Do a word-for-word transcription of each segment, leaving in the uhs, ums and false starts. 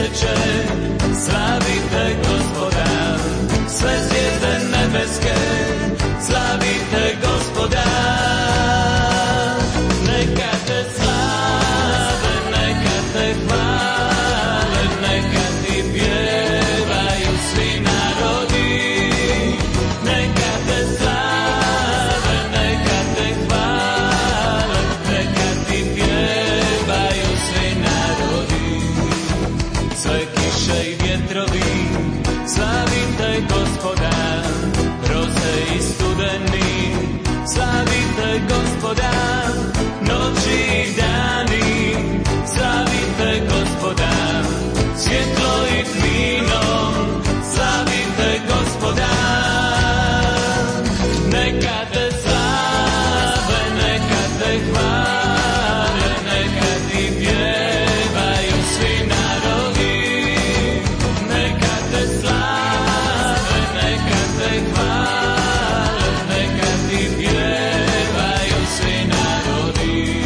mjeseče, slavite Gospoda, sve zvijezde nebeske, slavite Gospoda. Neka te slave, neka te hvale, neka ti pjevaju svi narodi. Neka te slave, neka te hvale, neka ti pjevaju svi narodi. Sve kiše i vjetrovi, slavite Gospoda, roze i studeni, slavite Gospoda, noći i dani, slavite Gospoda, svjetlo i tmino, slavite Gospoda. Neka te slave, neka te hvale, neka ti pjevaju svi narodi. Neka te slave, neka te hvale, neka ti pjevaju svi narodi.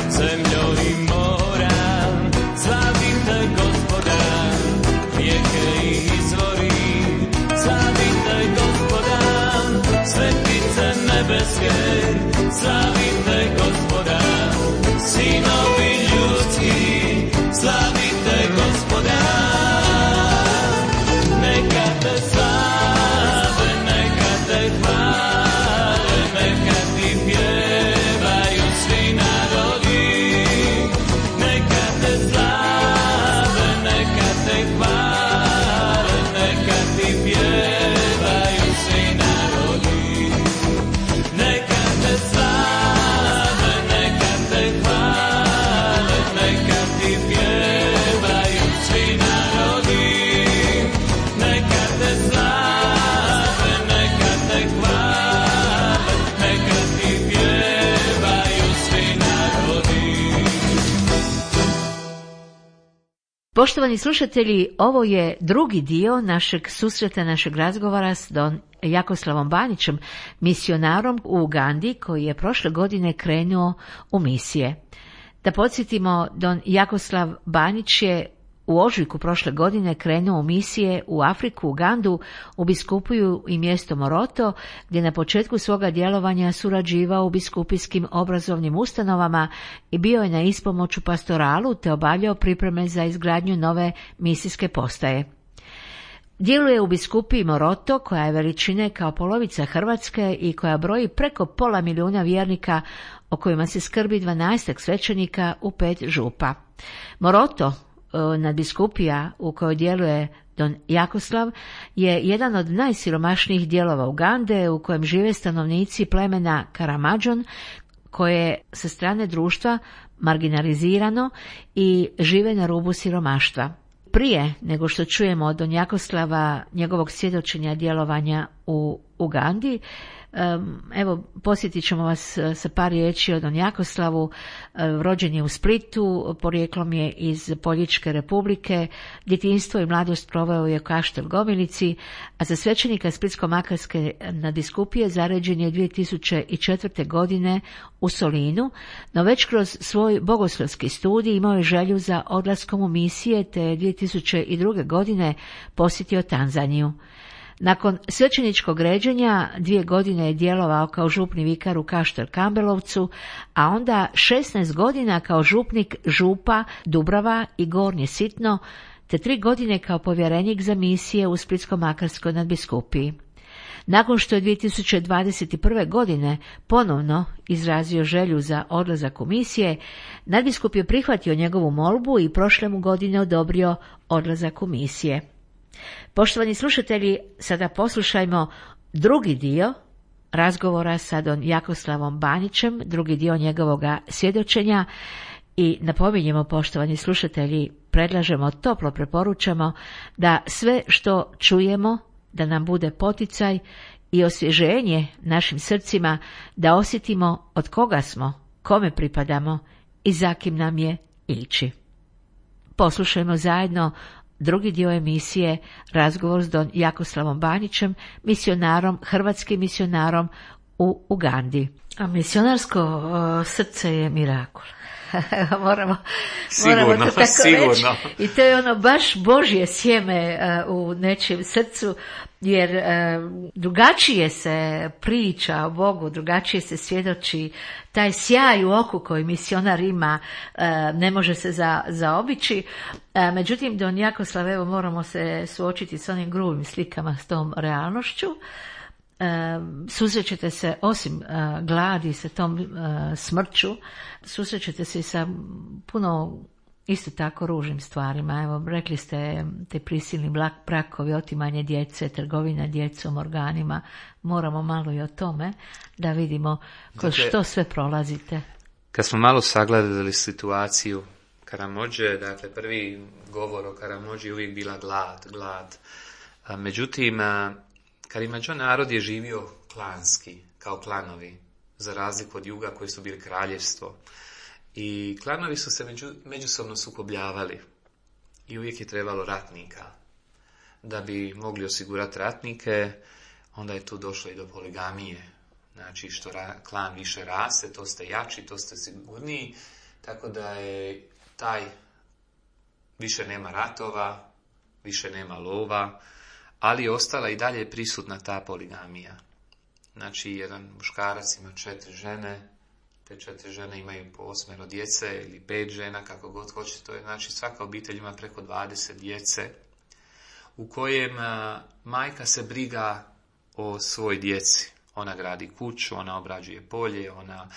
Zemljo i mora, slavite Gospoda, rijeke i izvori, slavite Gospoda, svetice nebeske, slavite Gospoda, sinovi ljudski, slavite Gospoda. Neka te slave, neka te hvale, neka ti pjevaju svi narodi. Neka te slave, neka te hvale, neka ti pjevaju svi narodi. Neka te slave, neka te hvale, neka ti pjevaju svi narodi. Neka te slave, neka te hvale, neka ti pjevaju svi narodi. Poštovani slušatelji, ovo je drugi dio našeg susreta, našeg razgovora s don Jakoslavom Banićem, misionarom u Ugandi koji je prošle godine krenuo u misije. Da podsjetimo, don Jakoslav Banić je u ožujku prošle godine krenuo u misije u Afriku, Ugandu, u biskupiju i mjesto Moroto, gdje na početku svoga djelovanja surađivao u biskupijskim obrazovnim ustanovama i bio je na ispomoću pastoralu te obavljao pripreme za izgradnju nove misijske postaje. Djeluje u biskupiji Moroto, koja je veličine kao polovica Hrvatske i koja broji preko pola milijuna vjernika, o kojima se skrbi dvanaestak svećenika u pet župa. Moroto, nadbiskupija u kojoj djeluje don Jakoslav, je jedan od najsiromašnijih dijelova Ugande, u kojem žive stanovnici plemena Karamadžon, koje je sa strane društva marginalizirano i žive na rubu siromaštva. Prije nego što čujemo od don Jakoslava njegovog svjedočenja djelovanja u Ugandi, evo, posjetit ćemo vas sa par riječi o don Jakoslavu. Rođen je u Splitu, porijeklom je iz Poljičke republike, djetinjstvo i mladost proveo je u Kaštel Gomilici, a za svećenika Splitsko-makarske nadbiskupije zaređen je dvije tisuće četvrte. godine u Solinu, no već kroz svoj bogoslovski studij imao je želju za odlaskom u misije, te je dvije tisuće druge. godine posjetio Tanzaniju. Nakon svećeničkog ređenja dvije godine je djelovao kao župni vikar u Kaštel Kambelovcu, a onda šesnaest godina kao župnik župa Dubrava i Gornje Sitno, te tri godine kao povjerenik za misije u Splitsko-makarskoj nadbiskupiji. Nakon što je dvije tisuće dvadeset prve. godine ponovno izrazio želju za odlazak u misije, nadbiskup je prihvatio njegovu molbu i prošle mu godine odobrio odlazak u misije. Poštovani slušatelji, sada poslušajmo drugi dio razgovora sa don Jakoslavom Banićem, drugi dio njegovoga svjedočenja, i napominjemo, poštovani slušatelji, predlažemo, toplo preporučamo da sve što čujemo da nam bude poticaj i osvježenje našim srcima, da osjetimo od koga smo, kome pripadamo i za kim nam je ići. Poslušajmo zajedno drugi dio emisije, razgovor s don Jakoslavom Banjićem, misionarom, hrvatskim misionarom u Ugandi. A misionarsko o, srce je mirakul. moramo, sigurno, moramo to tako sigurno. reći. I to je ono baš Božje sjeme uh, u nečijem srcu, jer uh, drugačije se priča o Bogu, drugačije se svjedoči. Taj sjaj u oku koji misionar ima uh, ne može se za, zaobići. Uh, međutim, don Jakoslav, evo moramo se suočiti s onim grubim slikama, s tom realnošću. Uh, susrećete se osim uh, gladi, sa tom uh, smrću, susrećete se i sa puno isto tako ružnim stvarima. Evo, rekli ste te prisilni brakovi, otimanje djece, trgovina djecom, organima. Moramo malo i o tome da vidimo kroz dakle, što sve prolazite. Kad smo malo sagledali situaciju Karamodže, dakle prvi govor o Karamodži je uvijek bila glad, glad. A, međutim, a, Karimadžo narod je živio klanski, kao klanovi, za razliku od juga koji su bili kraljevstvo. I klanovi su se među, međusobno sukobljavali i uvijek je trebalo ratnika. Da bi mogli osigurati ratnike, onda je tu došlo i do poligamije. Znači, što ra, klan više raste, to ste jači, to ste sigurniji, tako da je taj, više nema ratova, više nema lova, ali je ostala i dalje prisutna ta poligamija. Znači, jedan muškarac ima četiri žene, te četiri žene imaju po osmero djece ili pet žena, kako god hoće. To je, znači, svaka obitelj ima preko dvadeset djece, u kojem a, majka se briga o svoj djeci. Ona gradi kuću, ona obrađuje polje, ona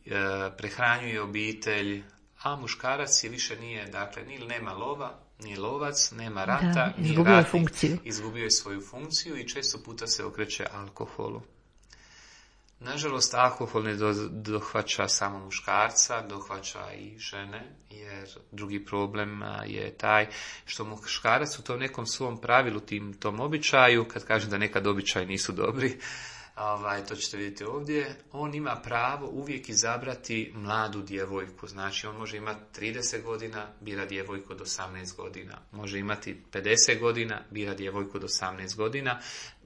e, prehranjuje obitelj, a muškarac je više nije, dakle, ni nema lova, ni lovac, nema rata, da, ni izgubio ratnik, funkciju. izgubio je svoju funkciju i često puta se okreće alkoholu. Nažalost, alkohol ne do, dohvaća samo muškarca, dohvaća i žene, jer drugi problem je taj što muškarac u tom nekom svom pravilu, tim, tom običaju, kad kažem da nekad običaji nisu dobri, ovaj, to ćete vidjeti ovdje, on ima pravo uvijek izabrati mladu djevojku. Znači, on može imati trideset godina, bira djevojku od osamnaest godina. Može imati pedeset godina, bira djevojku od osamnaest godina.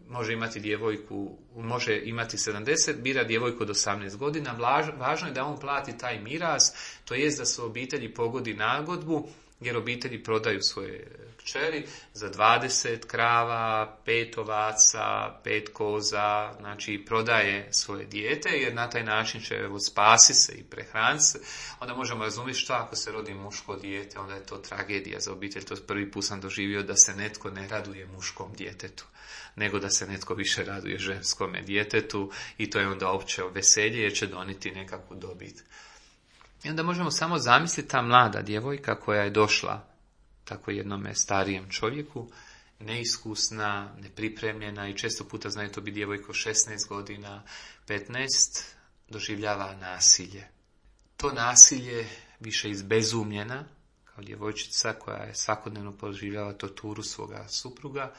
Može imati djevojku, može imati sedamdeset, bira djevojku od osamnaest godina. Važno je da on plati taj miraz, to jest da su obitelji pogodi nagodbu, jer obitelji prodaju svoje kćeri za dvadeset krava, pet ovaca, pet koza, znači prodaje svoje dijete, jer na taj način će evo, spasi se i prehraniti se. Onda možemo razumjeti što ako se rodi muško dijete, onda je to tragedija za obitelj. To prvi put sam doživio da se netko ne raduje muškom djetetu, nego da se netko više raduje ženskome djetetu i to je onda opće veselje jer će donijeti nekakvu dobit. I onda možemo samo zamisliti ta mlada djevojka koja je došla tako jednome starijem čovjeku, neiskusna, nepripremljena i često puta znaju to biti djevojko šesnaest godina, petnaest, doživljava nasilje. To nasilje više izbezumljena, kao djevojčica koja je svakodnevno proživljava torturu svoga supruga,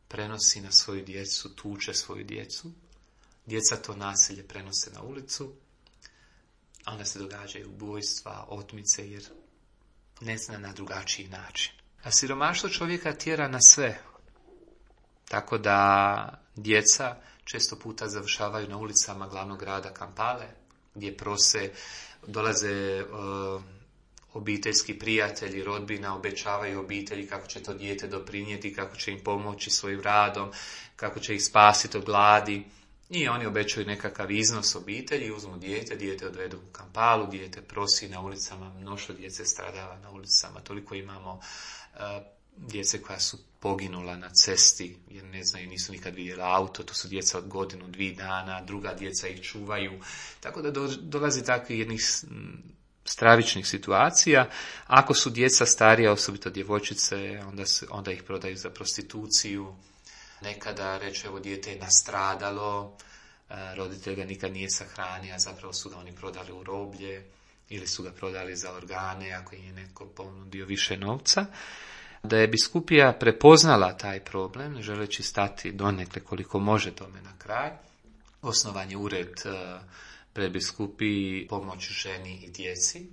prenosi na svoju djecu, tuče svoju djecu. Djeca to nasilje prenose na ulicu, a onda se događaju ubojstva, otmice, jer ne zna na drugačiji način. A siromaštvo čovjeka tjera na sve. Tako da djeca često puta završavaju na ulicama glavnog grada Kampale, gdje prose, dolaze uh, obiteljski prijatelji, rodbina, obećavaju obitelji kako će to dijete doprinijeti, kako će im pomoći svojim radom, kako će ih spasiti od gladi. I oni obećaju nekakav iznos obitelji, uzmu dijete, dijete odvedu u Kampalu, dijete prosi na ulicama, mnoštvo djece stradava na ulicama, toliko imamo uh, djece koja su poginula na cesti, jer ne znaju, nisu nikad vidjeli auto, to su djeca od godinu, dvije dana, druga djeca ih čuvaju, tako da do, dolazi takvih jednih stravičnih situacija. Ako su djeca starija, osobito djevojčice, onda, se, onda ih prodaju za prostituciju. Nekada reče, evo dijete je nastradalo, roditelj ga nikad nije sahranio, a zapravo su ga oni prodali u roblje ili su ga prodali za organe ako im je netko ponudio više novca. Da je biskupija prepoznala taj problem, ne želeći stati donekle koliko može tome na kraj, osnovan je ured Prebiskupiji pomoć ženi i djeci,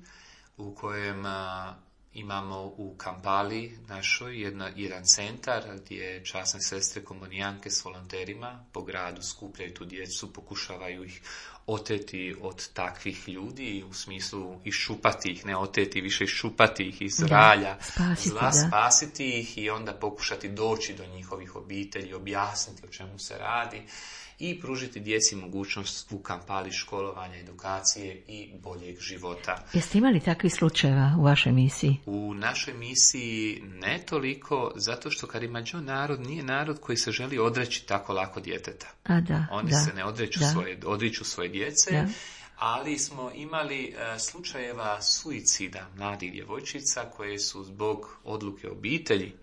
u kojem a, imamo u Kampali našoj jedna, jedan centar gdje časne sestre komunijanke s volonterima po gradu skupljaju tu djecu, pokušavaju ih oteti od takvih ljudi, u smislu iščupati ih, ne oteti, više iščupati ih iz ralja, spasiti, zla, spasiti ih i onda pokušati doći do njihovih obitelji, objasniti o čemu se radi i pružiti djeci mogućnost u Kampali školovanja, edukacije i boljeg života. Jeste imali takvih slučajeva u vašoj misiji? U našoj misiji ne toliko, zato što Karimađo narod nije narod koji se želi odreći tako lako djeteta. A da, Oni da, se ne odreću da. svoje, odriču svoje djece, da. ali smo imali uh, slučajeva suicida mladih djevojčica koje su zbog odluke obitelji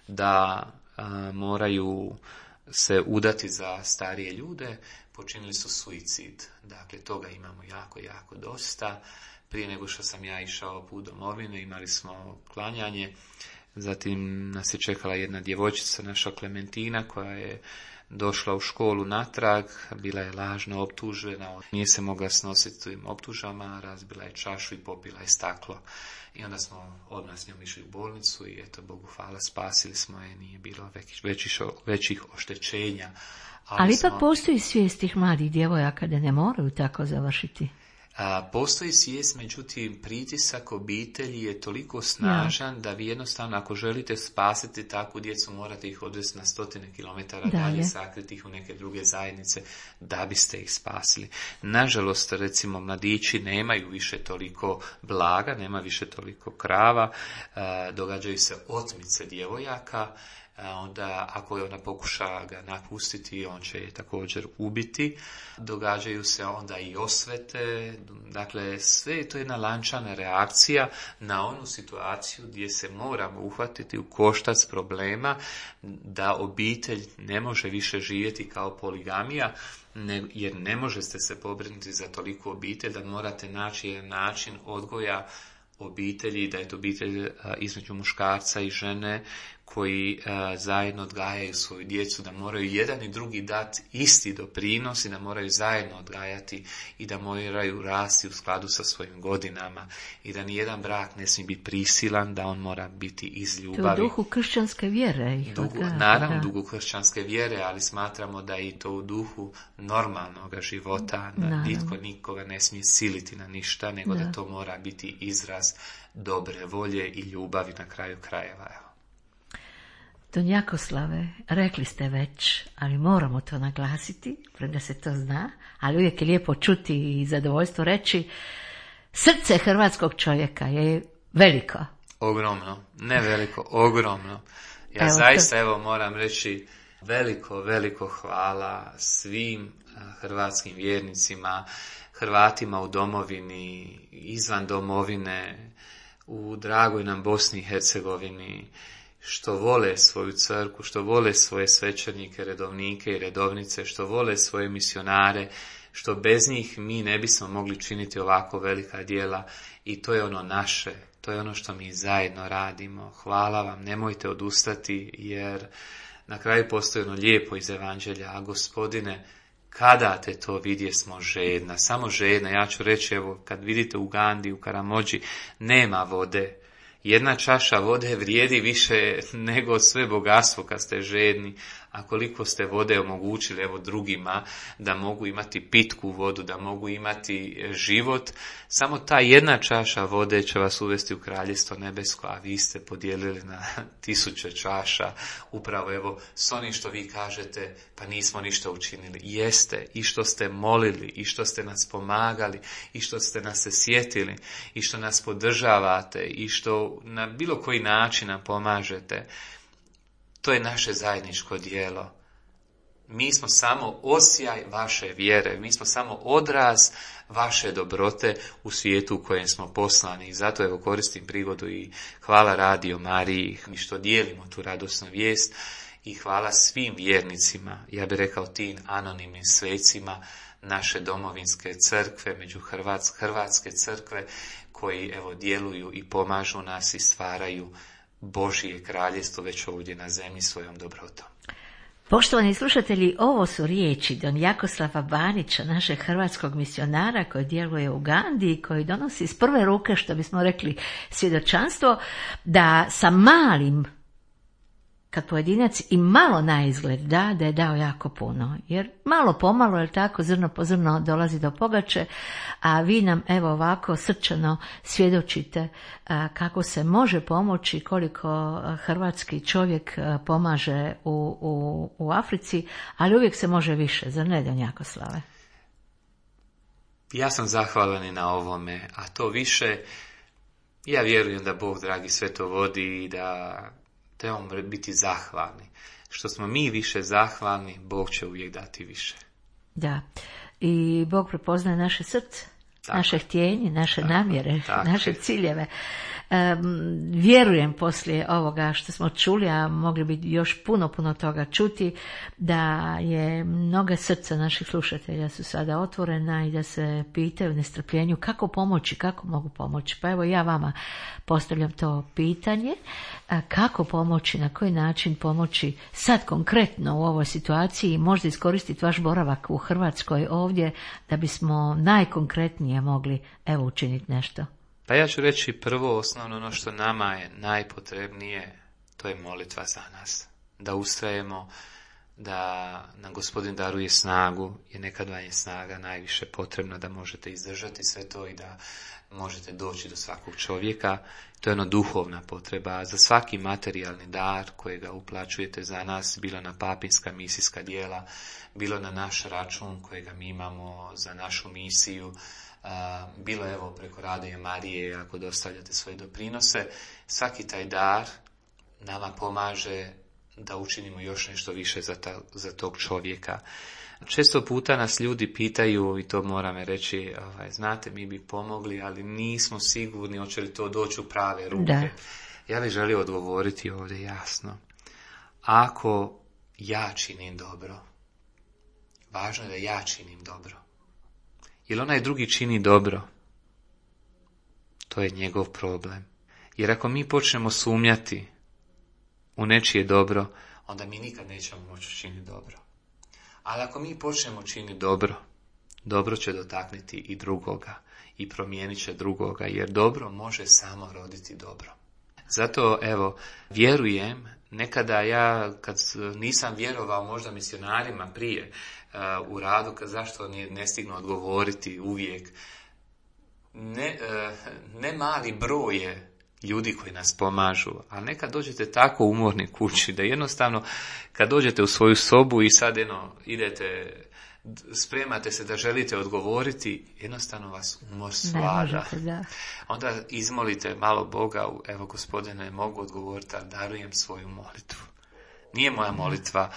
da uh, moraju se udati za starije ljude, počinili su suicid. Dakle, toga imamo jako, jako dosta. Prije nego što sam ja išao put domovine, imali smo klanjanje, zatim nas je čekala jedna djevojčica, naša Klementina, koja je došla u školu natrag, bila je lažno optužena, nije se mogla snositi tim optužama, razbila je čašu i popila je staklo. I onda smo odmah s njom išli u bolnicu i eto, Bogu hvala, spasili smo je, nije bilo većih, većih, većih oštećenja. Ali, Ali smo... ipak postoji svijest tih mladih djevojaka da ne moraju tako završiti. A, postoji svijest, međutim pritisak obitelji je toliko snažan ja. da vi jednostavno ako želite spasiti takvu djecu morate ih odvesti na stotine kilometara dalje, dalje sakriti ih u neke druge zajednice da biste ih spasili. Nažalost, recimo, mladići nemaju više toliko blaga, nema više toliko krava, a, događaju se otmice djevojaka. Onda ako je ona pokuša ga napustiti, on će je također ubiti. Događaju se onda i osvete, dakle sve je to jedna lančana reakcija na onu situaciju gdje se moramo uhvatiti u koštac problema da obitelj ne može više živjeti kao poligamija, ne, jer ne možete se pobrinuti za toliko obitelj da morate naći jedan način odgoja obitelji, da je to obitelj a, između muškarca i žene koji a, zajedno odgajaju svoju djecu, da moraju jedan i drugi dati isti doprinos i da moraju zajedno odgajati i da moraju rasti u skladu sa svojim godinama i da nijedan brak ne smije biti prisilan, da on mora biti iz ljubavi. To u duhu kršćanske vjere. Duhu, odgaja, naravno da. duhu kršćanske vjere, ali smatramo da je i to u duhu normalnog života, da naravno. Nitko nikoga ne smije siliti na ništa, nego da. da to mora biti izraz dobre volje i ljubavi na kraju krajeva. Don Jakoslave, rekli ste već, ali moramo to naglasiti, premda se to zna, ali uvijek je lijepo čuti i zadovoljstvo reći, srce hrvatskog čovjeka je veliko. Ogromno, ne veliko, ogromno. Ja evo zaista, to... evo, moram reći veliko, veliko hvala svim hrvatskim vjernicima, Hrvatima u domovini, izvan domovine, u dragoj nam Bosni i Hercegovini, što vole svoju crkvu, što vole svoje svećenike, redovnike i redovnice, što vole svoje misionare, što bez njih mi ne bismo mogli činiti ovako velika djela i to je ono naše, to je ono što mi zajedno radimo. Hvala vam, nemojte odustati jer na kraju postoji ono lijepo iz evanđelja, a Gospodine, kada te to vidje smo žedna, samo žedna, ja ću reći, evo, kad vidite u Ugandi, u Karamođi, nema vode. Jedna čaša vode vrijedi više nego sve bogatstvo kad ste žedni, a koliko ste vode omogućili evo drugima da mogu imati pitku vodu, da mogu imati život, samo ta jedna čaša vode će vas uvesti u kraljestvo nebesko, a vi ste podijelili na tisuće čaša, upravo evo s onim što vi kažete, pa nismo ništa učinili. Jeste, i što ste molili, i što ste nas pomagali, i što ste nas se sjetili, i što nas podržavate, i što na bilo koji način nam pomažete. To je naše zajedničko djelo. Mi smo samo osjaj vaše vjere, mi smo samo odraz vaše dobrote u svijetu u kojem smo poslani. I zato evo koristim prigodu i hvala Radio Mariji što dijelimo tu radosnu vijest i hvala svim vjernicima, ja bih rekao tim anonimnim svecima naše domovinske crkve, među Hrvatske, Hrvatske crkve koji evo djeluju i pomažu nas i stvaraju Božije kraljestvo već ovdje na zemlji svojom dobrotom. Poštovani slušatelji, ovo su riječi don Jakoslava Banića, našeg hrvatskog misionara koji djeluje u Ugandi i koji donosi iz prve ruke, što bismo rekli, svjedočanstvo da sa malim, kad pojedinac i malo na izgled da, da je dao jako puno. Jer malo pomalo, je tako, zrno po zrno dolazi do pogače, a vi nam evo ovako srčano svjedočite a, kako se može pomoći, koliko hrvatski čovjek a, pomaže u, u, u Africi, ali uvijek se može više, zar ne, don Jakoslave? Ja sam zahvalan i na ovome, a to više, ja vjerujem da Bog dragi sve to vodi i da trebamo biti zahvalni. Što smo mi više zahvalni, Bog će uvijek dati više. Da, i Bog prepoznaje naše srce, tako, naše htjenje, naše tako, namjere, tako, naše ciljeve. Um, vjerujem poslije ovoga što smo čuli, a mogli bi još puno, puno toga čuti, da je mnoga srca naših slušatelja su sada otvorena i da se pitaju u nestrpljenju kako pomoći, kako mogu pomoći. Pa evo ja vama postavljam to pitanje, kako pomoći, na koji način pomoći sad konkretno u ovoj situaciji, možda iskoristiti vaš boravak u Hrvatskoj ovdje da bismo najkonkretnije mogli evo učiniti nešto. Pa ja ću reći prvo, osnovno ono što nama je najpotrebnije, to je molitva za nas. Da ustrajemo, da nam Gospodin daruje snagu, jer nekad vam je snaga najviše potrebna da možete izdržati sve to i da možete doći do svakog čovjeka. To je ono duhovna potreba. Za svaki materijalni dar kojega uplaćujete za nas, bilo na papinska misijska djela, bilo na naš račun kojega mi imamo za našu misiju, Uh, bilo evo preko Radio Marije ako dostavljate svoje doprinose, svaki taj dar nama pomaže da učinimo još nešto više za, ta, za tog čovjeka. Često puta nas ljudi pitaju, i to moram reći, ovaj, znate, mi bi pomogli, ali nismo sigurni hoće li to doći u prave ruke. Da. Ja bih želio odgovoriti ovdje jasno. Ako ja činim dobro, važno je da ja činim dobro. Jer onaj drugi čini dobro, to je njegov problem. Jer ako mi počnemo sumnjati u nečije dobro, onda mi nikad nećemo moći činiti dobro. Ali ako mi počnemo činiti dobro, dobro će dotakniti i drugoga i promijenit će drugoga, jer dobro može samo roditi dobro. Zato, evo, vjerujem, nekada ja, kad nisam vjerovao možda misionarima prije, uh, u radu, kad zašto ne, ne stignu odgovoriti uvijek, ne, uh, ne mali broj je ljudi koji nas pomažu, a nekad dođete tako umorni kući, da jednostavno, kad dođete u svoju sobu i sad eno, idete, spremate se da želite odgovoriti, jednostavno vas umor svlada. Onda izmolite malo Boga, evo Gospodine, mogu odgovoriti, ali darujem svoju molitvu. Nije moja molitva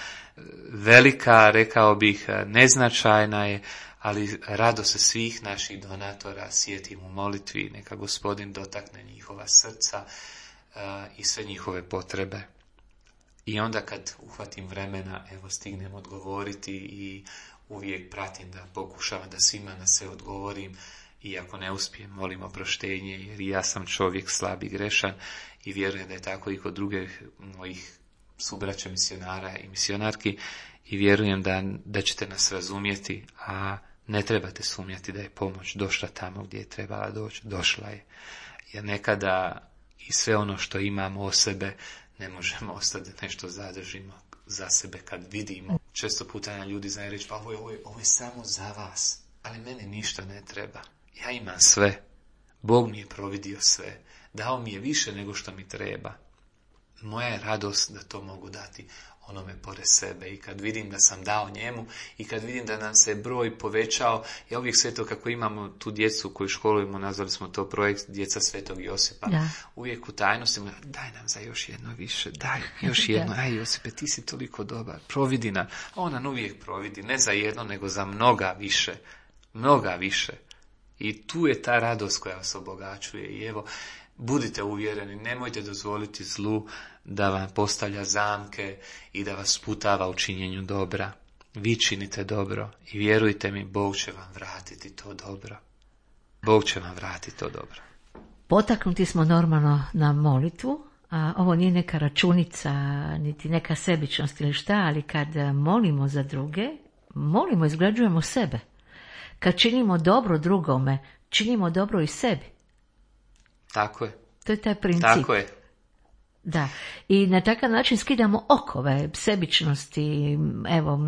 velika, rekao bih, neznačajna je, ali rado se svih naših donatora sjetim u molitvi, neka Gospodin dotakne njihova srca uh, i sve njihove potrebe. I onda kad uhvatim vremena, evo stignem odgovoriti i uvijek pratim da pokušavam da svima na sve odgovorim i ako ne uspijem, molim oproštenje, jer ja sam čovjek slab i grešan i vjerujem da je tako i kod drugih mojih subraća misionara i misionarki i vjerujem da, da ćete nas razumjeti, a ne trebate sumnjati da je pomoć došla tamo gdje je trebala doći, došla je. Jer nekada i sve ono što imamo o sebe ne možemo ostati da nešto zadržimo za sebe kad vidimo. Često puta nam ljudi znaju reći, pa ovo je, ovo, je, ovo je samo za vas, ali meni ništa ne treba. Ja imam sve. Bog mi je providio sve. Dao mi je više nego što mi treba. Moja je radost da to mogu dati onome pored sebe i kad vidim da sam dao njemu i kad vidim da nam se broj povećao, ja uvijek sve to kako imamo tu djecu koju školujemo, nazvali smo to projekt Djeca Svetog Josipa, da. Uvijek u tajnosti, daj nam za još jedno više, daj još jedno, aj Josipe, ti si toliko dobar, providi nam, on nam uvijek providi, ne za jedno, nego za mnoga više, mnoga više. I tu je ta radost koja vas obogaćuje i evo, budite uvjereni, nemojte dozvoliti zlu da vam postavlja zamke i da vas sputava u činjenju dobra. Vi činite dobro i vjerujte mi, Bog će vam vratiti to dobro. Bog će vam vratiti to dobro. Potaknuti smo normalno na molitvu, A, ovo nije neka računica, niti neka sebičnost ili šta, ali kad molimo za druge, molimo, izgrađujemo sebe. Kad činimo dobro drugome, činimo dobro i sebi. Tako je. To je taj princip. Tako je. Da, i na takav način skidamo okove sebičnosti, evo,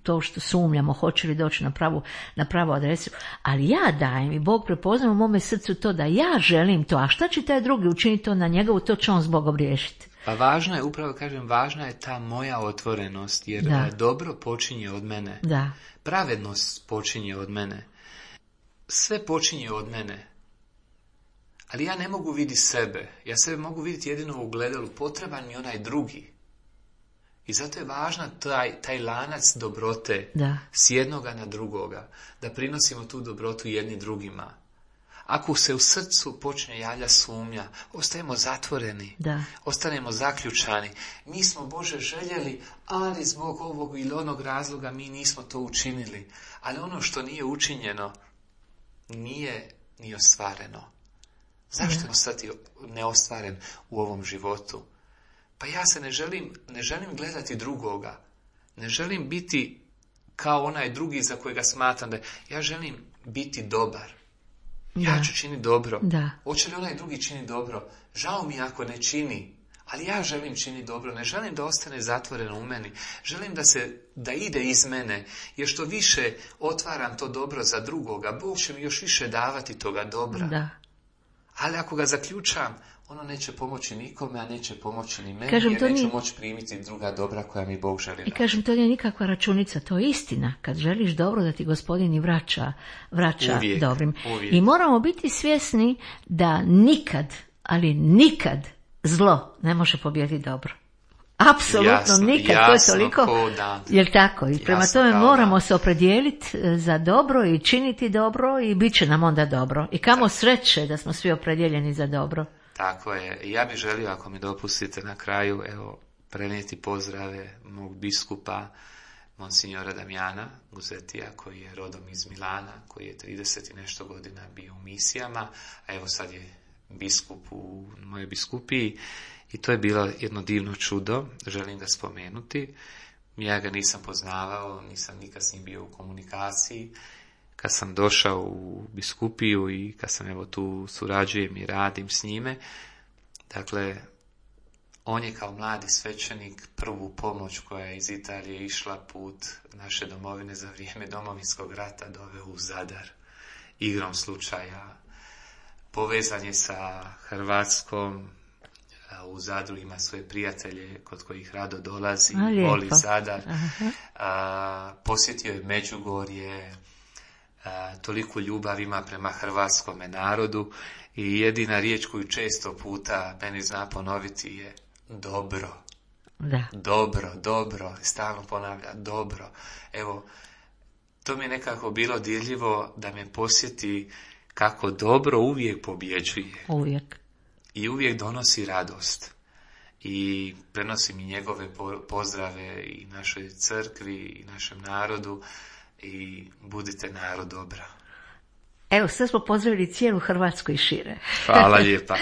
to što sumnjamo, hoće li doći na pravu, na pravu adresu, ali ja dajem i Bog prepoznaje u mome srcu to da ja želim to, a šta će taj drugi učiniti to na njegovu, to će on s Bogom riješiti. Pa važno je, upravo kažem, važna je ta moja otvorenost, jer Da. dobro počinje od mene. Da, Pravednost počinje od mene. Sve počinje od mene. Ali ja ne mogu vidjeti sebe. Ja sebe mogu vidjeti jedino u gledalu. Potreban mi onaj drugi. I zato je važna taj, taj lanac dobrote da, s jednoga na drugoga. Da prinosimo tu dobrotu jedni drugima. Ako se u srcu počne javlja sumnja, ostajemo zatvoreni. da, Ostanemo zaključani. Mi smo Bože željeli, ali zbog ovog ili onog razloga mi nismo to učinili. Ali ono što nije učinjeno, nije ni ostvareno. Zašto je ostati neostvaren u ovom životu? Pa ja se ne želim, ne želim gledati drugoga. Ne želim biti kao onaj drugi za kojega smatram da je. Ja želim biti dobar. Ja Da. ću činiti dobro. Da. Hoće li onaj drugi čini dobro? Žao mi ako ne čini. Ali ja želim činiti dobro. Ne želim da ostane zatvoreno u meni. Želim da se, da ide iz mene. Jer što više otvaram to dobro za drugoga, Bog će mi još više davati toga dobra. da. Ali ako ga zaključam, ono neće pomoći nikome, a neće pomoći ni meni, Kažem, jer to neću nije- moći primiti druga dobra koja mi Bog želi I dati. kažem, to nije nikakva računica, to je istina. Kad želiš dobro, da ti Gospodin i vraća, vraća Uvijek, dobrim. uvijek. I moramo biti svjesni da nikad, ali nikad zlo ne može pobijediti dobro. Apsolutno Jasno, nikad, to je jasno toliko, ko dan. jel tako? I prema Jasno tome kao moramo dan. se opredijeliti e, za dobro i činiti dobro i bit će nam onda dobro. I kamo sreće da smo svi opredjeljeni za dobro. Tako je. I ja bih želio, ako mi dopustite na kraju, evo, prenijeti pozdrave mog biskupa, monsignora Damjana Guzetija, koji je rodom iz Milana, koji je trideset i nešto godina bio u misijama, a evo sad je biskup u mojoj biskupiji. I to je bilo jedno divno čudo, želim ga spomenuti. Ja ga nisam poznavao, nisam nikad s njim bio u komunikaciji. Kad sam došao u biskupiju i kad sam evo tu surađujem i radim s njime, dakle, on je kao mladi svećenik prvu pomoć koja je iz Italije išla put naše domovine za vrijeme Domovinskog rata doveo u Zadar. Igrom slučaja povezan je sa Hrvatskom, u Zadru ima svoje prijatelje kod kojih rado dolazi, A, lijepo. voli Zadar. Aha. A, posjetio je Međugorje, a, toliko ljubav ima prema hrvatskome narodu i jedina riječ koju često puta meni zna ponoviti je dobro, Da. dobro, dobro, stalno ponavlja dobro. Evo, to mi je nekako bilo dirljivo da me posjeti kako dobro uvijek pobjeđuje. Uvijek. I uvijek donosi radost. I prenosi mi njegove po- pozdrave i našoj crkvi i našem narodu i budite narod dobra. Evo, sad smo pozdravili cijelu Hrvatsku i šire. Hvala lijepa.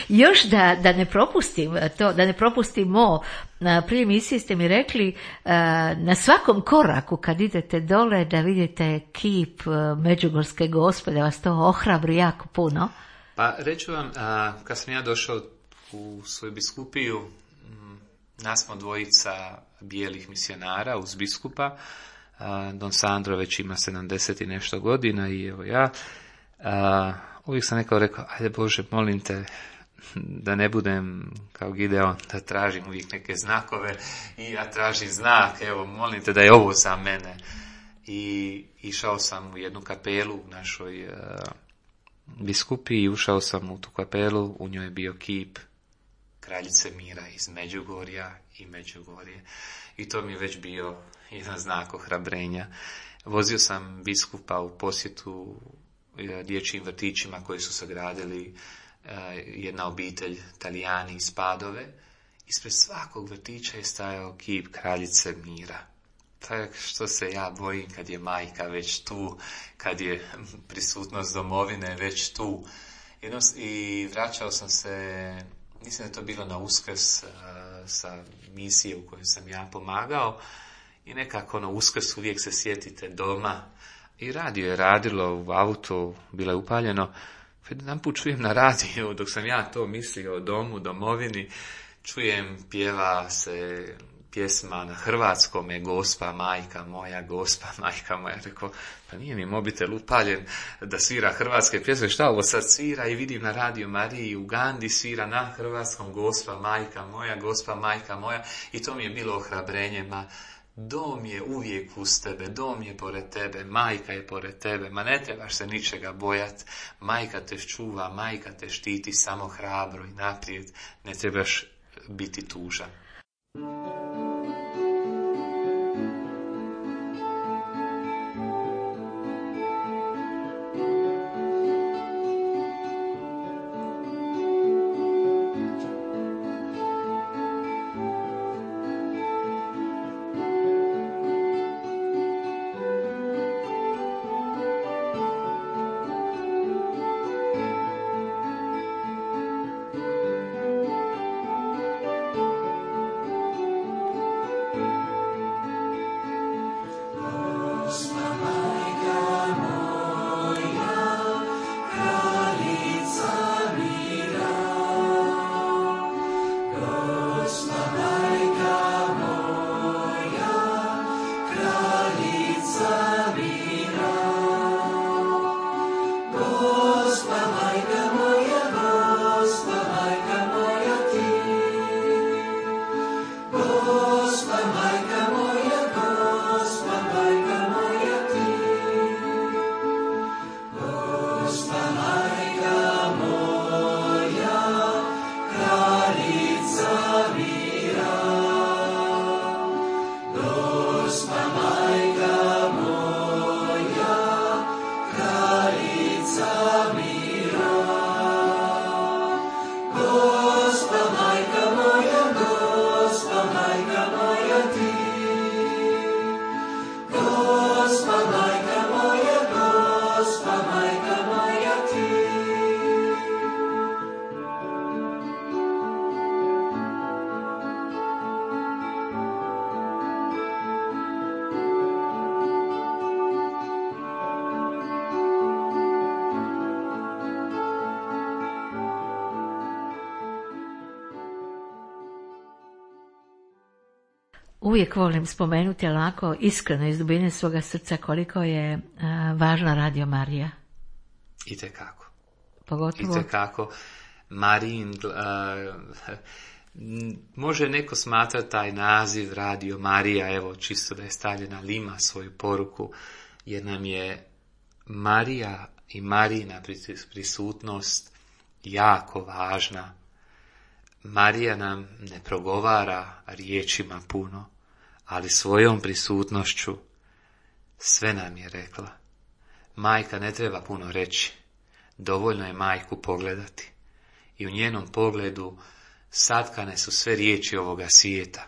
Još da, da ne propustim to, da ne propustimo, a, prije emisije ste mi rekli a, na svakom koraku kad idete dole da vidite kip a, Međugorske Gospe, da vas to ohrabri jako puno. Pa reću vam, a, kad sam ja došao u svoju biskupiju, m, nas smo dvojica bijelih misionara uz biskupa. A, Don Sandro već ima sedamdeset i nešto godina i evo ja. A, uvijek sam nekao rekao, ajde Bože, molim te da ne budem kao Gideon, da tražim uvijek neke znakove i ja tražim znak, evo, molim te da je ovo za mene. I išao sam u jednu kapelu u našoj a, biskupi i ušao sam u tu kapelu, u njoj je bio kip kraljice mira iz Međugorja i Međugorje. I to mi je već bio jedan znak ohrabrenja. Vozio sam biskupa u posjetu e, dječjim vrtićima koji su sagradili e, jedna obitelj Talijani iz Padove. Ispred svakog vrtića je stajao kip kraljice mira. Tak što se ja bojim kad je majka već tu, kad je prisutnost domovine već tu. Jedno, i vraćao sam se Mislim da je to bilo na Uskrs uh, sa misije u kojoj sam ja pomagao i nekako ono Uskrs uvijek se sjetite doma i radio je radilo u autu, bilo je upaljeno. Jedan put čujem na radiju, dok sam ja to mislio o domu, domovini, čujem pjeva se pjesma na hrvatskom je Gospa majka moja, Gospa majka moja. Rekao, pa nije mi mobitel upaljen da svira hrvatske pjesme, šta ovo sad svira? I vidim na Radio Mariji u Ugandi svira na hrvatskom Gospa majka moja, Gospa majka moja. I to mi je bilo ohrabrenje, ma dom je uvijek uz tebe, dom je pored tebe, majka je pored tebe, ma ne trebaš se ničega bojat, majka te čuva, majka te štiti, samo hrabro i naprijed, ne trebaš biti tužan. Uvijek volim spomenuti onako iskreno iz dubine svoga srca koliko je a, važna Radio Marija. Itekako. Pogotovo. Itekako. Marijin, uh, može neko smatrati taj naziv Radio Marija, evo čisto da je stavljena, ali ima svoju poruku, jer nam je Marija i Marijina prisutnost jako važna. Marija nam ne progovara riječima puno, ali svojom prisutnošću sve nam je rekla. Majka ne treba puno reći, dovoljno je majku pogledati. I u njenom pogledu satkane su sve riječi ovoga svijeta,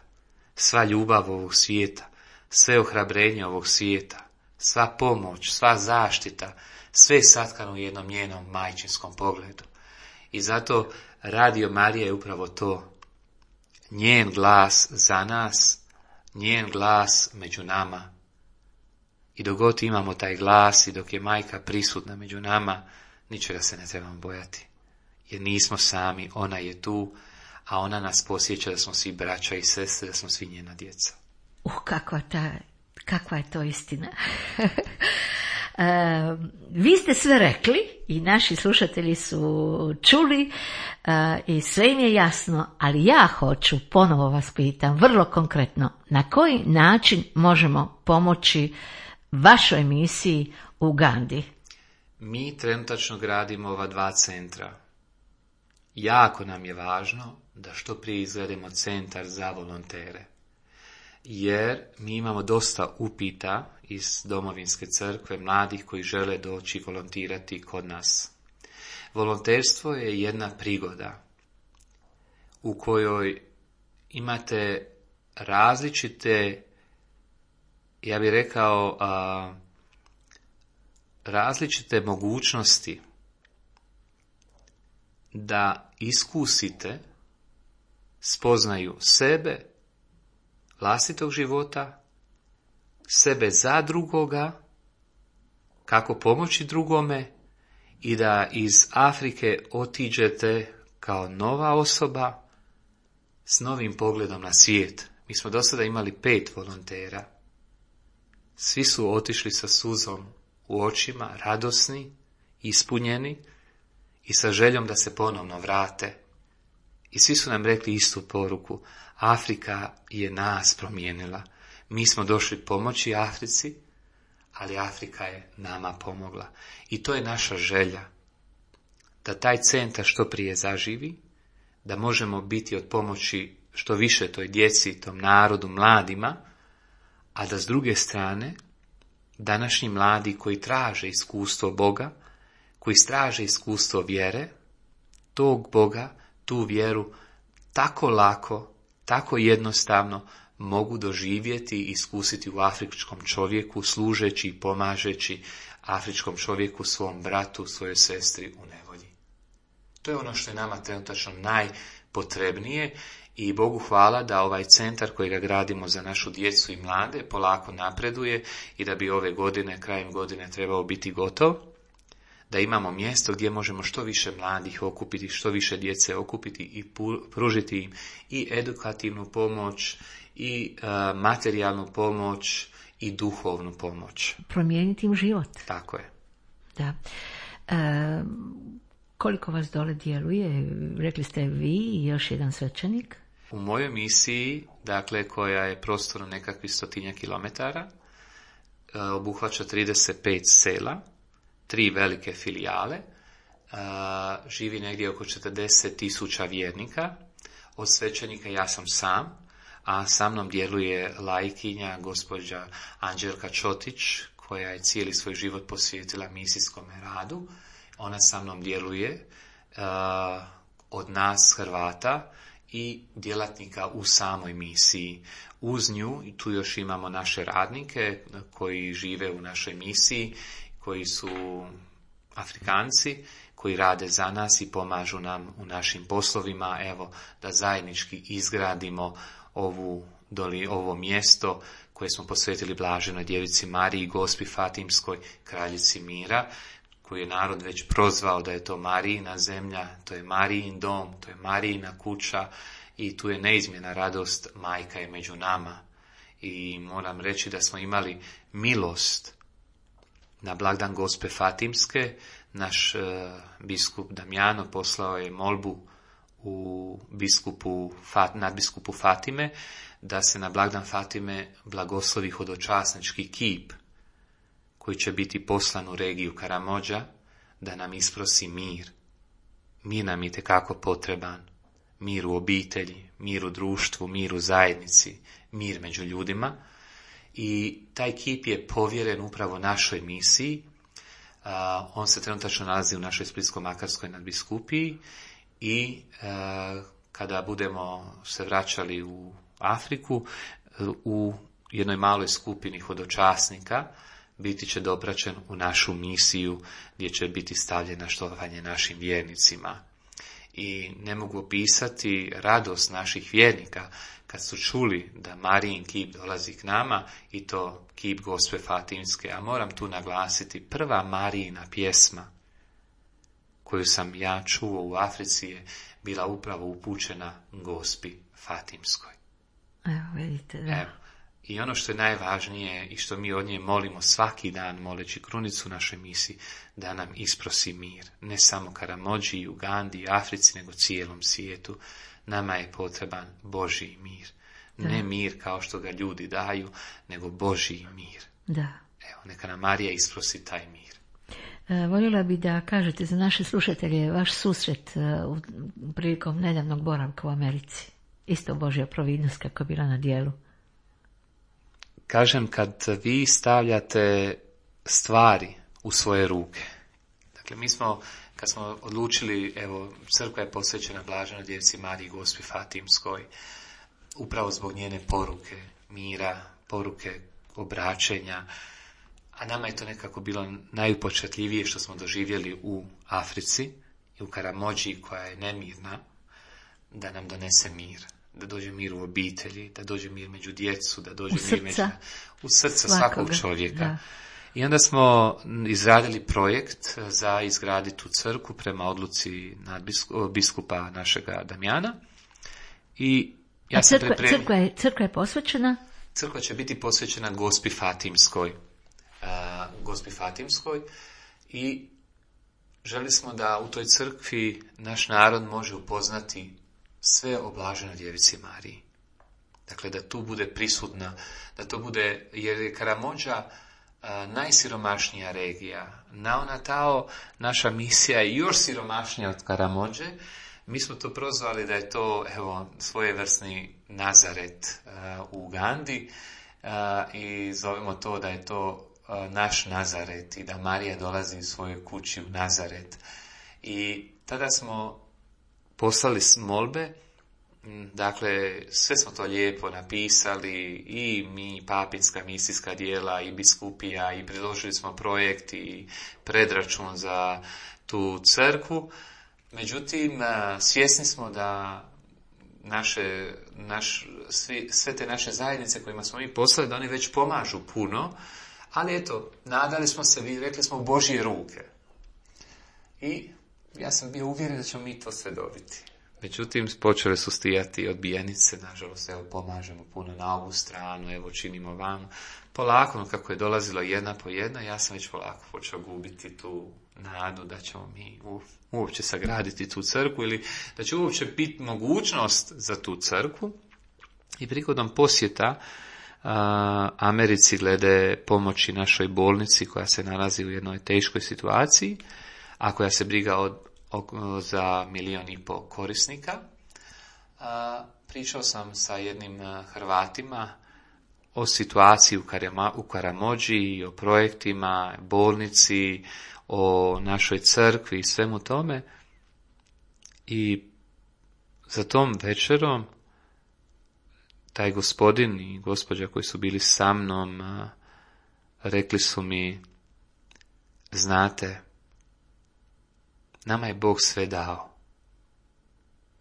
sva ljubav ovog svijeta, sve ohrabrenje ovog svijeta, sva pomoć, sva zaštita, sve je satkano u jednom njenom majčinskom pogledu. I zato Radio Marija je upravo to, njen glas za nas, njen glas među nama. I dok god imamo taj glas i dok je majka prisutna među nama, ničega se ne trebamo bojati. Jer nismo sami, ona je tu, a ona nas posjeća da smo svi braća i sestre, da smo svi njena djeca. Uh, kakva, ta, kakva je to istina. Uh, vi ste sve rekli i naši slušatelji su čuli uh, i sve im je jasno, ali ja hoću, ponovo vas pitam, vrlo konkretno, na koji način možemo pomoći vašoj misiji u Ugandi? Mi trenutačno gradimo ova dva centra. Jako nam je važno da što prije izgradimo centar za volontere. Jer mi imamo dosta upita iz Domovinske crkve, mladih koji žele doći volontirati kod nas. Volonterstvo je jedna prigoda u kojoj imate različite, ja bih rekao, a, različite mogućnosti da iskusite spoznaju sebe, vlastitog života, sebe za drugoga, kako pomoći drugome i da iz Afrike otiđete kao nova osoba s novim pogledom na svijet. Mi smo do sada imali pet volontera. Svi su otišli sa suzom u očima, radosni, ispunjeni i sa željom da se ponovno vrate. I svi su nam rekli istu poruku. Afrika je nas promijenila. Mi smo došli pomoći Africi, ali Afrika je nama pomogla. I to je naša želja. Da taj centar što prije zaživi, da možemo biti od pomoći što više toj djeci, tom narodu, mladima, a da s druge strane, današnji mladi koji traže iskustvo Boga, koji traže iskustvo vjere, tog Boga, tu vjeru, tako lako, tako jednostavno mogu doživjeti i iskusiti u afričkom čovjeku, služeći i pomažeći afričkom čovjeku, svom bratu, svojoj sestri u nevolji. To je ono što je nama trenutačno najpotrebnije i Bogu hvala da ovaj centar kojega gradimo za našu djecu i mlade polako napreduje i da bi ove godine, krajem godine trebao biti gotov, da imamo mjesto gdje možemo što više mladih okupiti, što više djece okupiti i pružiti im i edukativnu pomoć, i uh, materijalnu pomoć, i duhovnu pomoć. Promijeniti im život. Tako je. Da. E, koliko vas dole djeluje? Rekli ste vi i još jedan svećenik? U mojoj misiji, dakle, koja je prostorno nekakvih stotinja kilometara, e, obuhvaća trideset pet sela, tri velike filijale, a, živi negdje oko četrdeset tisuća vjernika. Od svećenika ja sam sam, a sa mnom djeluje laikinja gospođa Anđelka Čotić, koja je cijeli svoj život posvetila misijskom radu. Ona sa mnom djeluje a, od nas Hrvata i djelatnika u samoj misiji. Uz nju, i tu još imamo naše radnike koji žive u našoj misiji, koji su Afrikanci, koji rade za nas i pomažu nam u našim poslovima, evo, da zajednički izgradimo ovu, doli, ovo mjesto koje smo posvetili Blaženoj djevici Mariji, Gospi Fatimskoj, kraljici mira, koju je narod već prozvao da je to Marijina zemlja, to je Marijin dom, to je Marijina kuća i tu je neizmjerna radost, majka je među nama. I moram reći da smo imali milost na blagdan Gospe Fatimske. Naš e, biskup Damjano poslao je molbu u biskupu, Fat, nadbiskupu Fatime da se na blagdan Fatime blagoslovi hodočasnički kip koji će biti poslan u regiju Karamođa da nam isprosi mir. Mir nam je itekako potreban. Mir u obitelji, mir u društvu, mir u zajednici, mir među ljudima. I taj kip je povjeren upravo našoj misiji. Uh, on se trenutačno nalazi u našoj Splitsko-makarskoj nadbiskupiji i uh, kada budemo se vraćali u Afriku, uh, u jednoj maloj skupini hodočasnika biti će dopraćen u našu misiju gdje će biti stavljena štovanje našim vjernicima. I ne mogu opisati radost naših vjernika kad su čuli da Marijin kip dolazi k nama i to kip Gospe Fatimske. A moram tu naglasiti, prva Marijina pjesma koju sam ja čuo u Africi je bila upravo upućena Gospi Fatimskoj. Evo, vidite, da. Evo. I ono što je najvažnije i što mi od nje molimo svaki dan, moleći krunicu našoj misiji, da nam isprosi mir. Ne samo Karamođi, Ugandi, Africi, nego cijelom svijetu. Nama je potreban Božji mir. Da. Ne mir kao što ga ljudi daju, nego Božji mir. Da. Evo, neka nam Marija isprosi taj mir. E, voljela bi da kažete za naše slušatelje vaš susret uh, prilikom nedavnog boravka u Americi. Isto Božja providnost kako je bila na dijelu. Kažem, kad vi stavljate stvari u svoje ruke. Dakle, mi smo, kad smo odlučili, evo, crkva je posvećena Blaženoj djevici Mariji Gospi Fatimskoj, upravo zbog njene poruke mira, poruke obraćenja, a nama je to nekako bilo najupečatljivije što smo doživjeli u Africi i u Karamođi koja je nemirna, da nam donese mir. da dođe mir u obitelji, da dođe mir među djecu, da dođe u mir među, u srca svakog čovjeka. Da. I onda smo izradili projekt za izgraditi tu crkvu prema odluci biskupa našega Damjana. I ja A crkva, pripremio, crkva, je, crkva je posvećena? Crkva će biti posvećena Gospi Fatimskoj. Uh, Gospi Fatimskoj i želi smo da u toj crkvi naš narod može upoznati sve o blaženoj djevici Mariji. Dakle, da tu bude prisutna, da to bude, jer je Karamođa a, najsiromašnija regija. Naonatao, naša misija je još siromašnija od Karamođe. Mi smo to prozvali da je to, evo, svojevrsni Nazaret a, u Ugandi a, i zovemo to da je to a, naš Nazaret i da Marija dolazi u svojoj kući u Nazaret. I tada smo poslali molbe. Dakle, sve smo to lijepo napisali, i mi, papinska misijska dijela, i biskupija, i predložili smo projekt i predračun za tu crkvu. Međutim, svjesni smo da naše, naš, svi, sve te naše zajednice kojima smo mi poslali, da oni već pomažu puno, ali eto, nadali smo se, rekli smo, u Božje ruke. I ja sam bio uvjeren da ćemo mi to sve dobiti. Međutim, počele su stijati odbijenice, nažalost, evo, pomažemo puno na ovu stranu, evo, činimo vam. Polako, kako je dolazilo jedna po jedna, ja sam već polako počeo gubiti tu nadu da ćemo mi uopće sagraditi tu crkvu ili da će uopće biti mogućnost za tu crkvu. I prigodom posjeta a, Americi glede pomoći našoj bolnici koja se nalazi u jednoj teškoj situaciji, a koja se briga od za milijon i pol korisnika. A, pričao sam sa jednim Hrvatima o situaciji u, Karama, u Karamođi, o projektima, bolnici, o našoj crkvi i svemu tome. I za tom večerom taj gospodin i gospođa koji su bili sa mnom a, rekli su mi, znate, nama je Bog sve dao.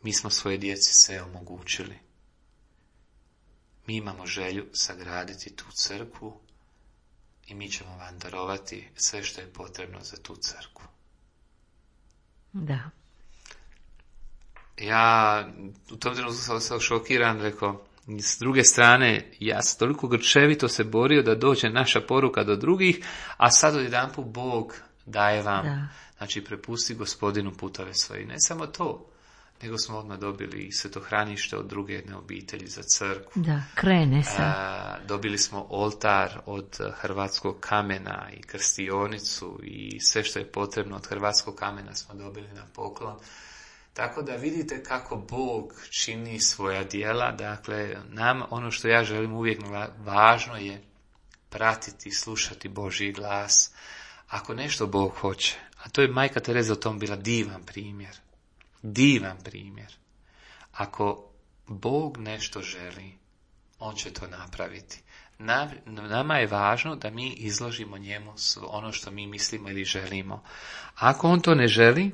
Mi smo svoje djeci sve omogućili. Mi imamo želju sagraditi tu crkvu i mi ćemo vam darovati sve što je potrebno za tu crkvu. Da. Ja u tom trenutku sam ostao šokiran, rekao, s druge strane, ja sam toliko grčevito se borio da dođe naša poruka do drugih, a sad odjedanput Bog daje vam. Da. Znači, prepusti Gospodinu putove svoje. I ne samo to, nego smo odmah dobili i svetohranište od druge jedne obitelji za crkvu. Da, krene se. A, dobili smo oltar od hrvatskog kamena i krstionicu i sve što je potrebno od hrvatskog kamena smo dobili na poklon. Tako da vidite kako Bog čini svoja djela. Dakle, nam ono što ja želim uvijek važno je pratiti, slušati Božji glas. Ako nešto Bog hoće, a to je majka Tereza o tom bila divan primjer. Divan primjer. Ako Bog nešto želi, on će to napraviti. Nama je važno da mi izložimo njemu ono što mi mislimo ili želimo. Ako on to ne želi,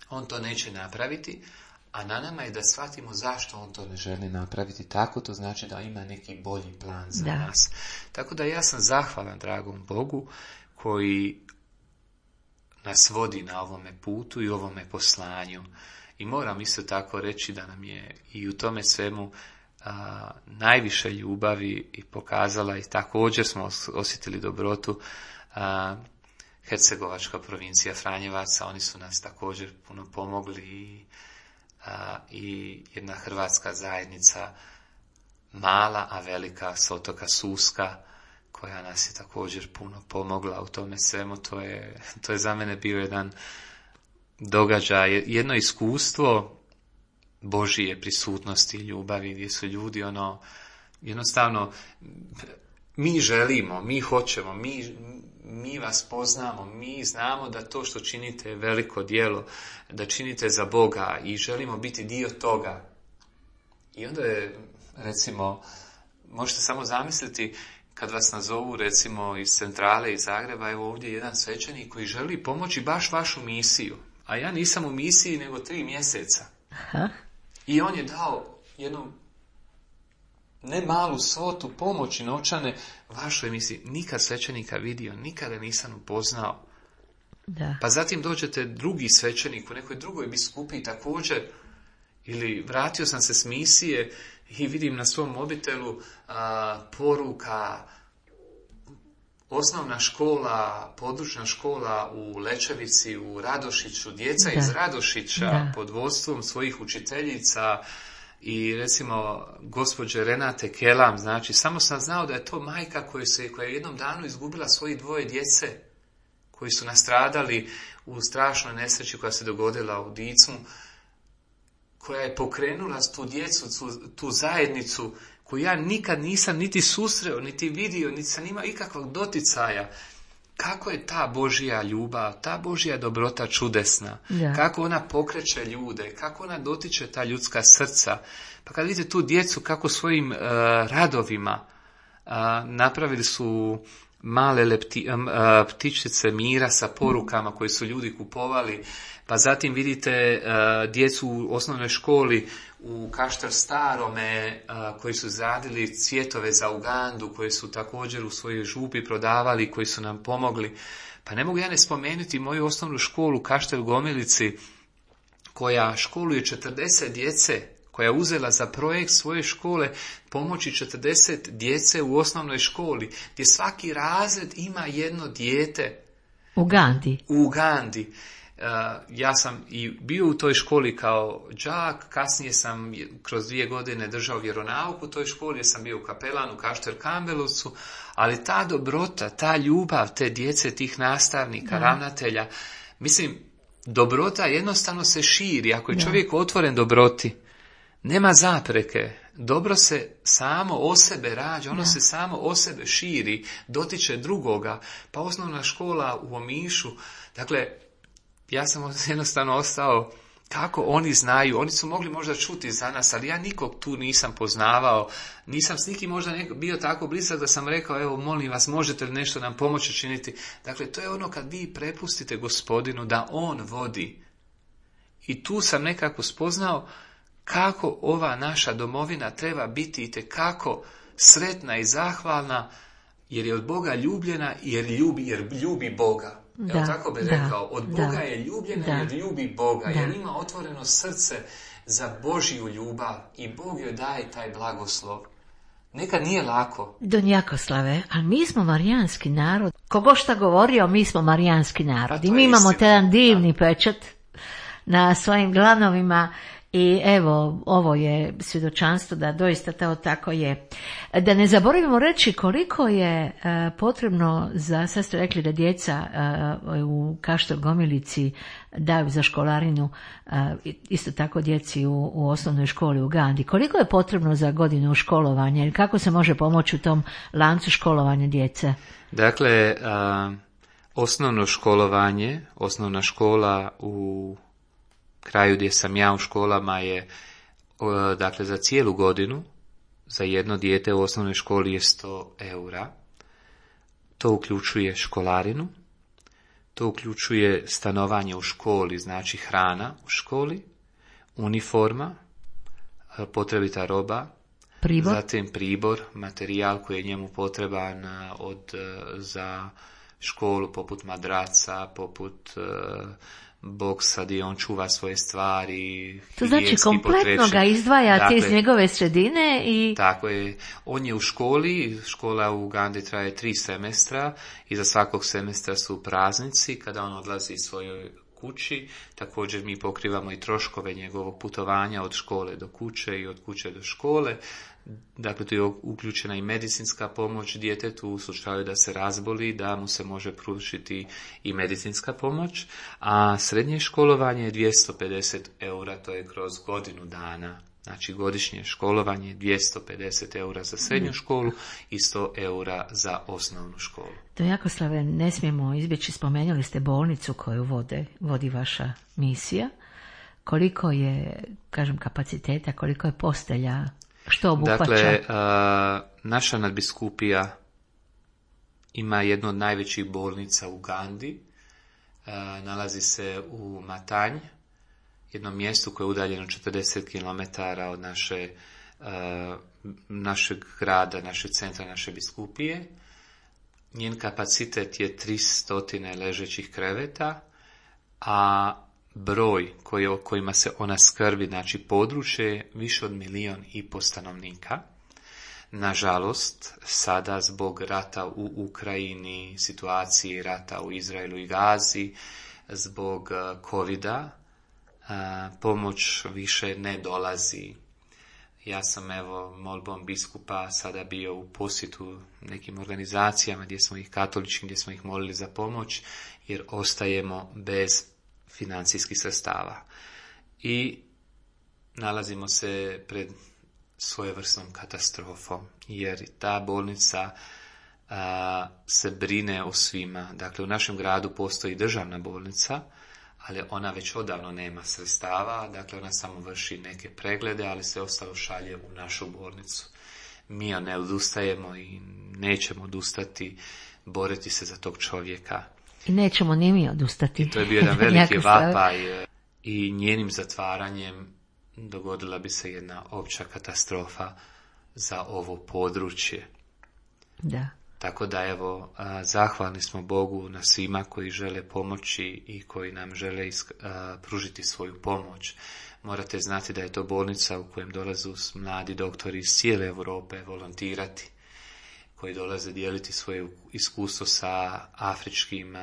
on to neće napraviti, a na nama je da shvatimo zašto on to ne želi napraviti. Tako to znači da ima neki bolji plan za da. nas. Tako da ja sam zahvalan dragom Bogu koji nas vodi na ovome putu i ovome poslanju. I moram isto tako reći da nam je i u tome svemu a, najviše ljubavi i pokazala i također smo osjetili dobrotu a, Hercegovačka provincija Franjevaca. Oni su nas također puno pomogli i, a, i jedna hrvatska zajednica mala, a velika s otoka Suska, koja nas je također puno pomogla u tome svemu. To je, to je za mene bio jedan događaj, jedno iskustvo Božije prisutnosti i ljubavi, gdje su ljudi ono, jednostavno, mi želimo, mi hoćemo, mi, mi vas poznamo, mi znamo da to što činite je veliko djelo, da činite za Boga i želimo biti dio toga. I onda je, recimo, možete samo zamisliti, kad vas nazovu, recimo, iz centrale, iz Zagreba, evo ovdje jedan svećenik koji želi pomoći baš vašu misiju. A ja nisam u misiji nego tri mjeseca. Aha. I on je dao jednu ne malu svotu pomoći novčane vašoj emisiji. Nikad svećenika vidio, nikada nisam upoznao. Da. Pa zatim dođete drugi svećenik u nekoj drugoj biskupiji također, ili vratio sam se s misije i vidim na svom mobitelu a, poruka osnovna škola, područna škola u Lečevici, u Radošiću, djeca da. iz Radošića da. pod vodstvom svojih učiteljica i recimo gospođe Renate Kelam, znači samo sam znao da je to majka koja, se, koja je jednom danu izgubila svoje dvoje djece, koji su nastradali u strašnoj nesreći koja se dogodila u Dicmu, koja je pokrenula tu djecu, tu, tu zajednicu, koju ja nikad nisam niti susreo, niti vidio, niti sam imao ikakvog doticaja. Kako je ta Božja ljubav, ta Božja dobrota čudesna, da. Kako ona pokreće ljude, kako ona dotiče ta ljudska srca. Pa kad vidite tu djecu kako svojim uh, radovima uh, napravili su male lepti, uh, ptičice mira sa porukama koje su ljudi kupovali, pa zatim vidite uh, djecu u osnovnoj školi u Kaštel Starome uh, koji su zadili cvjetove za Ugandu, koji su također u svojoj župi prodavali, koji su nam pomogli. Pa ne mogu ja ne spomenuti moju osnovnu školu u Kaštel Gomilici, koja školuje četrdeset djece, koja je uzela za projekt svoje škole pomoći četrdeset djece u osnovnoj školi, gdje svaki razred ima jedno dijete. U Ugandi. U Ugandi. Uh, ja sam i bio u toj školi kao đak, kasnije sam kroz dvije godine držao vjeronauk u toj školi, jer sam bio u kapelanu u Kaštel Kambelovcu, ali ta dobrota, ta ljubav te djece, tih nastavnika, da. Ravnatelja, mislim, dobrota jednostavno se širi. Ako je da. Čovjek otvoren dobroti, nema zapreke. Dobro se samo o sebe rađa, ono da. Se samo o sebe širi, dotiče drugoga. Pa osnovna škola u Omišu, dakle, ja sam jednostavno ostao, kako oni znaju, oni su mogli možda čuti za nas, ali ja nikog tu nisam poznavao, nisam s nikim možda neko, bio tako blizak da sam rekao, evo molim vas, možete li nešto nam pomoći činiti. Dakle, to je ono kad vi prepustite Gospodinu da on vodi. I tu sam nekako spoznao kako ova naša domovina treba biti itekako sretna i zahvalna, jer je od Boga ljubljena, jer ljubi, jer ljubi Boga. Da, Evo tako bi da, rekao, od Boga da, je ljubljena da, jer ljubi Boga, da. jer ima otvoreno srce za Božju ljubav i Bog joj daje taj blagoslov. Nekad nije lako. Don Jakoslave, ali mi smo marijanski narod. Kogo šta govorio, mi smo marijanski narod. Pa I mi imamo istina, jedan divni da. pečat na svojim glanovima. I evo, ovo je svjedočanstvo da doista to tako je. Da ne zaboravimo reći koliko je uh, potrebno za, sad ste rekli da djeca uh, u Kaštel Gomilici daju za školarinu, uh, isto tako djeci u, u osnovnoj školi u Ugandi. Koliko je potrebno za godinu školovanja ili kako se može pomoći u tom lancu školovanja djece? Dakle, uh, osnovno školovanje, osnovna škola u kraju gdje sam ja u školama je, dakle, za cijelu godinu, za jedno dijete u osnovnoj školi je sto eura. To uključuje školarinu, to uključuje stanovanje u školi, znači hrana u školi, uniforma, potrebita roba, Pribor? Zatim pribor, materijal koji je njemu potreban od, za školu, poput madraca, poput uh, boksa gdje on čuva svoje stvari. To znači kompletno ga izdvajate dakle, iz njegove sredine i... Tako je. On je u školi, škola u Ugandi traje tri semestra, iza svakog semestra su praznici kada on odlazi svojoj kući. Također mi pokrivamo i troškove njegovog putovanja od škole do kuće i od kuće do škole. Dakle, tu je uključena i medicinska pomoć djetetu u slučaju da se razboli, da mu se može pružiti i medicinska pomoć, a srednje školovanje je dvjesto pedeset eura, to je kroz godinu dana. Znači, godišnje školovanje dvjesto pedeset eura za srednju školu i sto eura za osnovnu školu. To Jakoslave, ne smijemo izbjeći, spomenuli ste bolnicu koju vode, vodi vaša misija. Koliko je, kažem, kapaciteta, koliko je postelja? Što obuhvaća? Dakle, uh, naša nadbiskupija ima jednu od najvećih bolnica u Ugandi. Uh, nalazi se u Matanj jednom mjestu koje je udaljeno četrdeset kilometara od naše, uh, našeg grada, našeg centra, naše biskupije. Njen kapacitet je tristo ležećih kreveta, a broj koji, o kojima se ona skrbi, znači područje, je više od milijun i po stanovnika. Nažalost, sada zbog rata u Ukrajini, situacije rata u Izraelu i Gazi, zbog covida, pomoć više ne dolazi. Ja sam evo molbom biskupa sada bio u posjetu nekim organizacijama gdje smo ih katoličkim, gdje smo ih molili za pomoć, jer ostajemo bez financijskih sredstava. I nalazimo se pred svojevrsnom katastrofom, jer ta bolnica a, se brine o svima. Dakle, u našem gradu postoji državna bolnica, ali ona već odavno nema sredstava, dakle ona samo vrši neke preglede, ali sve ostalo šalje u našu bolnicu. Mi ne odustajemo i nećemo odustati, boriti se za tog čovjeka. I nećemo ni mi odustati. I to je bio jedan veliki vapaj i njenim zatvaranjem dogodila bi se jedna opća katastrofa za ovo područje. Da. Tako da evo, zahvalni smo Bogu na svima koji žele pomoći i koji nam žele isk- pružiti svoju pomoć. Morate znati da je to bolnica u kojem dolaze mladi doktori iz cijele Europe volontirati, koji dolaze dijeliti svoje iskustvo sa afričkim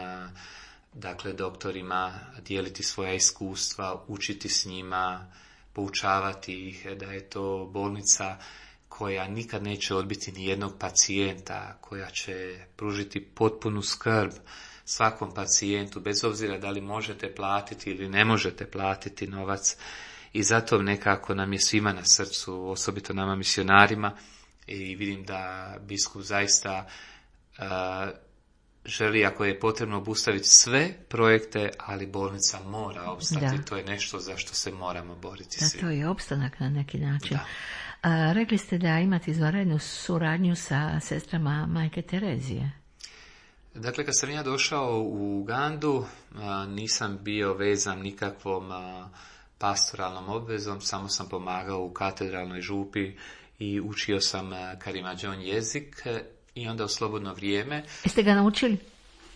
dakle doktorima, dijeliti svoja iskustva, učiti s njima, poučavati ih, da je to bolnica koja nikad neće odbiti ni jednog pacijenta, koja će pružiti potpunu skrb svakom pacijentu, bez obzira da li možete platiti ili ne možete platiti novac. I zato nekako nam je svima na srcu, osobito nama misionarima, i vidim da biskup zaista uh, želi, ako je potrebno, obustaviti sve projekte, ali bolnica mora opstati. Da. To je nešto za što se moramo boriti da, svi. To je opstanak na neki način. Da. A, rekli ste da imate izvanrednu suradnju sa sestrama Majke Terezije. Dakle, kad sam ja došao u Ugandu, a, nisam bio vezan nikakvom a, pastoralnom obvezom, samo sam pomagao u katedralnoj župi i učio sam Karimadžon jezik i onda u slobodno vrijeme. Jeste ga naučili?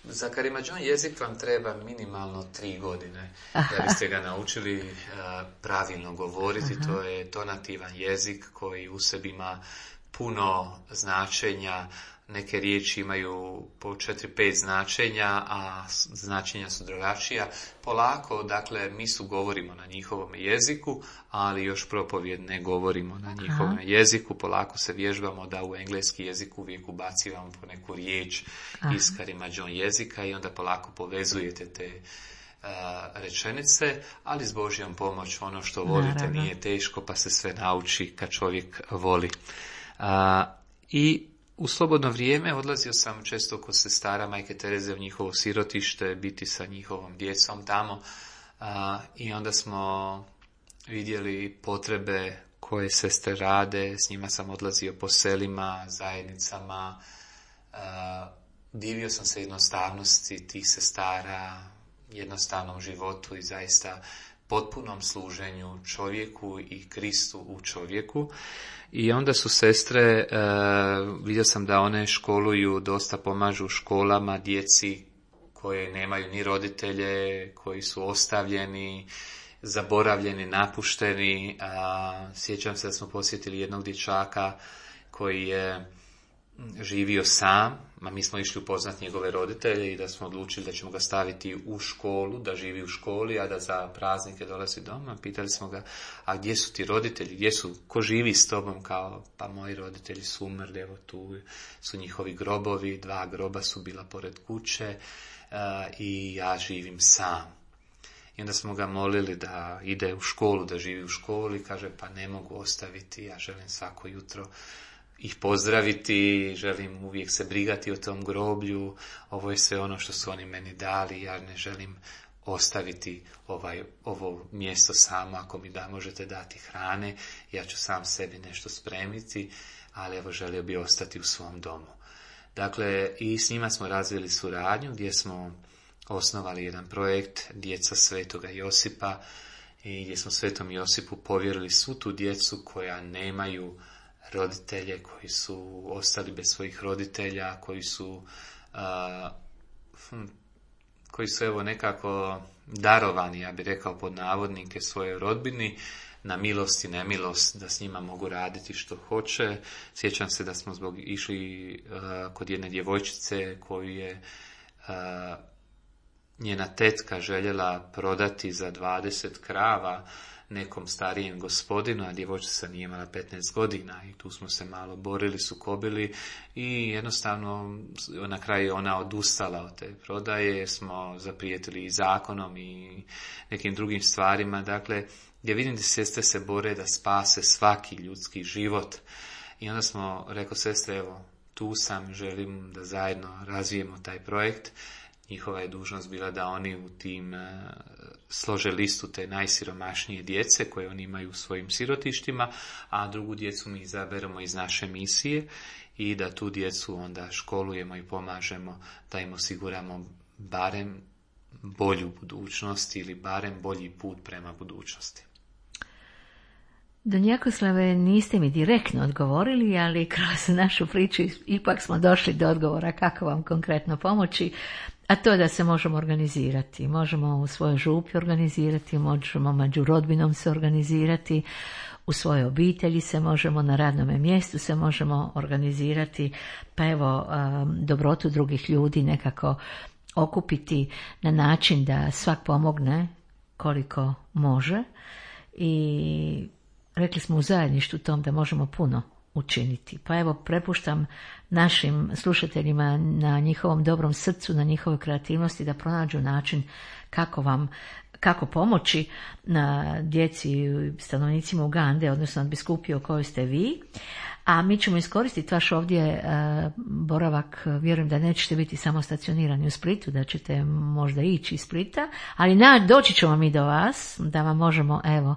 Za Karimadžon jezik vam treba minimalno tri godine Aha. da biste ga naučili uh, pravilno govoriti. Aha. To je tonativan jezik koji u sebi ima puno značenja. Neke riječi imaju po četiri pet značenja, a značenja su drugačija. Polako, dakle, mi su govorimo na njihovom jeziku, ali još propovjed ne govorimo na njihovom Aha. jeziku. Polako se vježbamo da u engleski jezik uvijek ubacivamo po neku riječ Aha. iz Karimadžon jezika i onda polako povezujete te uh, rečenice, ali s Božjom pomoć ono što volite Naravno. Nije teško, pa se sve nauči kad čovjek voli. Uh, I u slobodno vrijeme odlazio sam često kod sestara Majke Tereze u njihovo sirotište, biti sa njihovom djecom tamo a, i onda smo vidjeli potrebe koje sestre rade, s njima sam odlazio po selima, zajednicama, a, divio sam se jednostavnosti tih sestara, jednostavnom životu i zaista potpunom služenju čovjeku i Kristu u čovjeku. I onda su sestre, uh, vidio sam da one školuju, dosta pomažu školama, djeci koje nemaju ni roditelje, koji su ostavljeni, zaboravljeni, napušteni. Uh, sjećam se da smo posjetili jednog dječaka koji je živio sam, a mi smo išli upoznati njegove roditelje i da smo odlučili da ćemo ga staviti u školu, da živi u školi, a da za praznike dolazi doma. Pitali smo ga, a gdje su ti roditelji, gdje su, ko živi s tobom? Kao, pa moji roditelji su umrli, evo tu su njihovi grobovi, dva groba su bila pored kuće uh, i ja živim sam. I onda smo ga molili da ide u školu, da živi u školi, kaže, pa ne mogu ostaviti, ja želim svako jutro ih pozdraviti, želim uvijek se brigati o tom groblju, ovo je sve ono što su oni meni dali, ja ne želim ostaviti ovaj, ovo mjesto samo, ako mi da možete dati hrane, ja ću sam sebi nešto spremiti, ali evo želio bi ostati u svom domu. Dakle, i s njima smo razvili suradnju gdje smo osnovali jedan projekt Djeca Svetoga Josipa, i gdje smo Svetom Josipu povjerili svu tu djecu koja nemaju roditelje, koji su ostali bez svojih roditelja, koji su a, hm, koji su evo nekako darovani, ja bih rekao pod navodnike, svojoj rodbini, na milost i nemilost, da s njima mogu raditi što hoće. Sjećam se da smo zbog išli uh, kod jedne djevojčice koju je uh, njena tetka željela prodati za dvadeset krava nekom starijem gospodinu, a djevojčica nije imala petnaest godina i tu smo se malo borili, sukobili i jednostavno na kraju ona odustala od te prodaje, smo zaprijetili i zakonom i nekim drugim stvarima, dakle gdje vidim da sestre se bore da spase svaki ljudski život. I onda smo, rekao sestre, evo, tu sam, želim da zajedno razvijemo taj projekt. Njihova je dužnost bila da oni u tim uh, slože listu te najsiromašnije djece koje oni imaju u svojim sirotištima, a drugu djecu mi izaberemo iz naše misije i da tu djecu onda školujemo i pomažemo da im osiguramo barem bolju budućnost ili barem bolji put prema budućnosti. Don Jakoslave, niste mi direktno odgovorili, ali kroz našu priču ipak smo došli do odgovora kako vam konkretno pomoći, a to je da se možemo organizirati. Možemo u svojoj župi organizirati, možemo među rodbinom se organizirati, u svojoj obitelji se možemo, na radnom mjestu se možemo organizirati, pa evo dobrotu drugih ljudi nekako okupiti na način da svak pomogne koliko može i rekli smo u zajedništvu tom da možemo puno učiniti. Pa evo, prepuštam našim slušateljima na njihovom dobrom srcu, na njihovoj kreativnosti da pronađu način kako vam, kako pomoći na djeci i stanovnicima Ugande, odnosno biskupiji o kojoj ste vi. A mi ćemo iskoristiti vaš ovdje uh, boravak, vjerujem da nećete biti samo stacionirani u Splitu, da ćete možda ići iz Splita, ali na, doći ćemo mi do vas, da vam možemo, evo,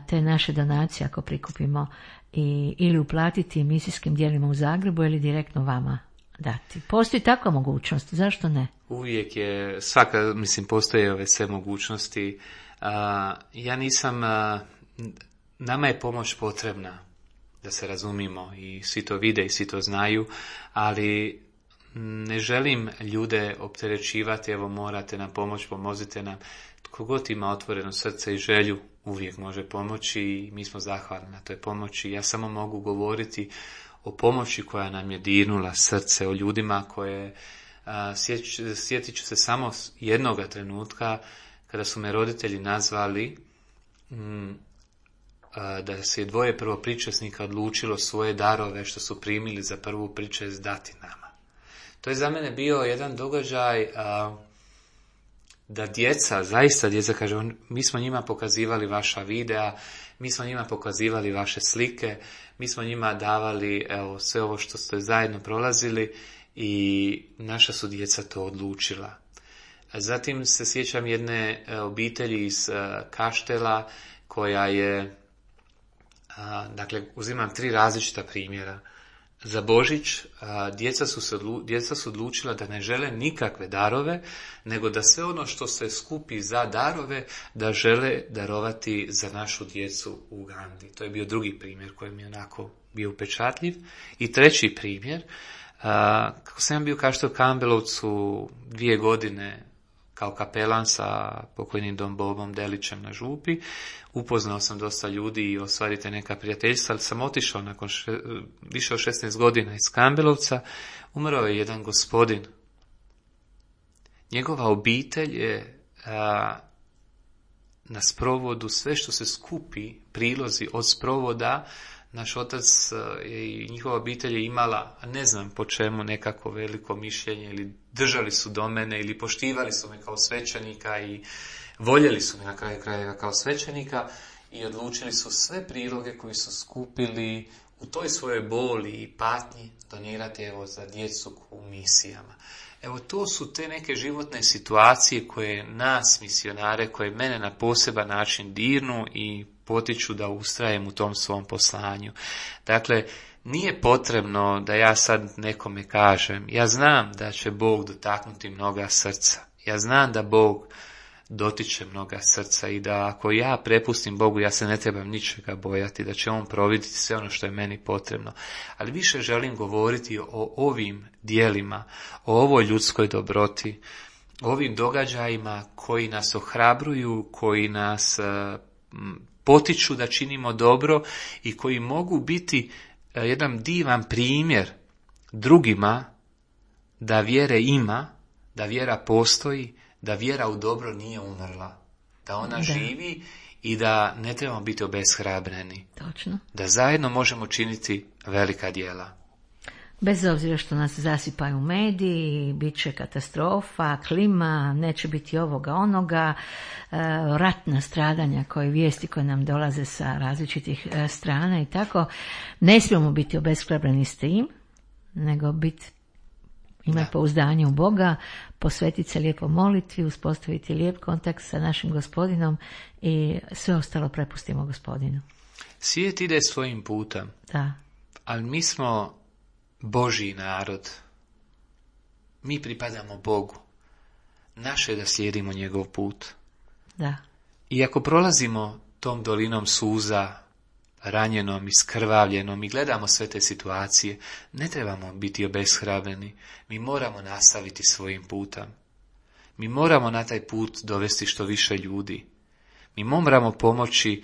te naše donacije ako prikupimo i, ili uplatiti misijskim dijelima u Zagrebu ili direktno vama dati. Postoji takva mogućnost, zašto ne? Uvijek je, svaka, mislim, postoje ove sve mogućnosti. Uh, ja nisam, uh, nama je pomoć potrebna, da se razumimo i svi to vide i svi to znaju, ali ne želim ljude opterećivati, evo morate nam pomoć, pomozite nam. Tko god ima otvoreno srce i želju, uvijek može pomoći i mi smo zahvalni na toj pomoći. Ja samo mogu govoriti o pomoći koja nam je dirnula srce, o ljudima koje, a, sjeć, sjetit ću se samo jednoga trenutka kada su me roditelji nazvali m, a, da se je dvoje prvopričesnika odlučilo svoje darove što su primili za prvu pričest dati nama. To je za mene bio jedan događaj a, da djeca, zaista djeca, kaže, mi smo njima pokazivali vaša videa, mi smo njima pokazivali vaše slike, mi smo njima davali, evo, sve ovo što ste zajedno prolazili i naša su djeca to odlučila. Zatim se sjećam jedne obitelji iz Kaštela koja je, dakle, uzimam tri različita primjera. Za Božić djeca su, se, djeca su odlučila da ne žele nikakve darove, nego da sve ono što se skupi za darove, da žele darovati za našu djecu u Ugandi. To je bio drugi primjer koji mi je onako bio upečatljiv. I treći primjer, kako sam bio kao u Kambelovcu dvije godine kao kapelan sa pokojnim Don Bobom Delićem na župi, upoznao sam dosta ljudi i ostvarite neka prijateljstva, ali sam otišao nakon še, više od šesnaest godina iz Kambelovca, umrao je jedan gospodin. Njegova obitelj je a, na sprovodu, sve što se skupi, prilozi od sprovoda, naš otac i njihova obitelj je imala, ne znam po čemu, nekako veliko mišljenje, ili držali su do mene, ili poštivali su me kao svećenika i voljeli su me na kraju krajeva kao svećenika i odlučili su sve priloge koji su skupili u toj svojoj boli i patnji donirati, evo, za djecu u misijama. Evo, to su te neke životne situacije koje nas, misionare, koje mene na poseban način dirnu i potiču da ustrajem u tom svom poslanju. Dakle, nije potrebno da ja sad nekome kažem, ja znam da će Bog dotaknuti mnoga srca. Ja znam da Bog dotiče mnoga srca i da ako ja prepustim Bogu, ja se ne trebam ničega bojati, da će On providiti sve ono što je meni potrebno. Ali više želim govoriti o ovim dijelima, o ovoj ljudskoj dobroti, o ovim događajima koji nas ohrabruju, koji nas potiču da činimo dobro i koji mogu biti jedan divan primjer drugima da vjere ima, da vjera postoji, da vjera u dobro nije umrla, da ona da. živi i da ne trebamo biti obeshrabreni. Točno. Da zajedno možemo činiti velika djela. Bez obzira što nas zasipaju mediji, bit će katastrofa, klima, neće biti ovoga, onoga, ratna stradanja koje vijesti koje nam dolaze sa različitih strana i tako. Ne smijemo biti obeshrabreni s tim, nego biti imati pouzdanje u Boga, posvetiti se lijepo molitvi, uspostaviti lijep kontakt sa našim Gospodinom i sve ostalo prepustimo Gospodinu. Svijet ide svojim putem, da. Ali mi smo Božji narod. Mi pripadamo Bogu. Naše je da slijedimo njegov put. Da. I ako prolazimo tom dolinom suza, ranjenom, iskrvavljenom i gledamo sve te situacije, ne trebamo biti obeshrabreni. Mi moramo nastaviti svojim putem. Mi moramo na taj put dovesti što više ljudi. Mi moramo pomoći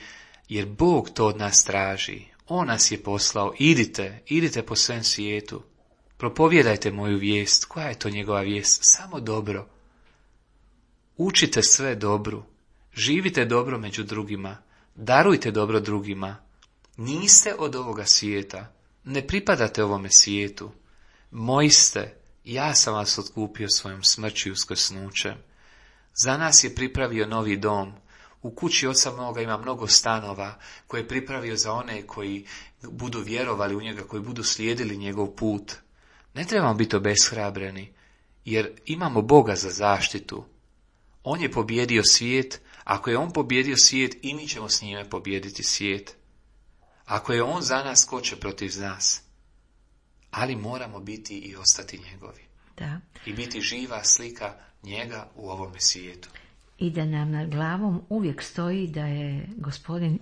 jer Bog to od nas traži. On nas je poslao. Idite, idite po svem svijetu. Propovijedajte moju vijest. Koja je to njegova vijest? Samo dobro. Učite sve dobru. Živite dobro među drugima. Darujte dobro drugima. Niste od ovoga svijeta. Ne pripadate ovome svijetu. Moji ste. Ja sam vas otkupio svojom smrću i uskrsnućem. Za nas je pripravio novi dom. U kući oca moga ima mnogo stanova koje je pripravio za one koji budu vjerovali u njega, koji budu slijedili njegov put. Ne trebamo biti obeshrabreni, jer imamo Boga za zaštitu. On je pobjedio svijet, ako je on pobjedio svijet, i mi ćemo s njime pobijediti svijet. Ako je on za nas, ko će protiv nas? Ali moramo biti i ostati njegovi. Da. I biti živa slika njega u ovome svijetu. I da nam nad glavom uvijek stoji da je Gospodin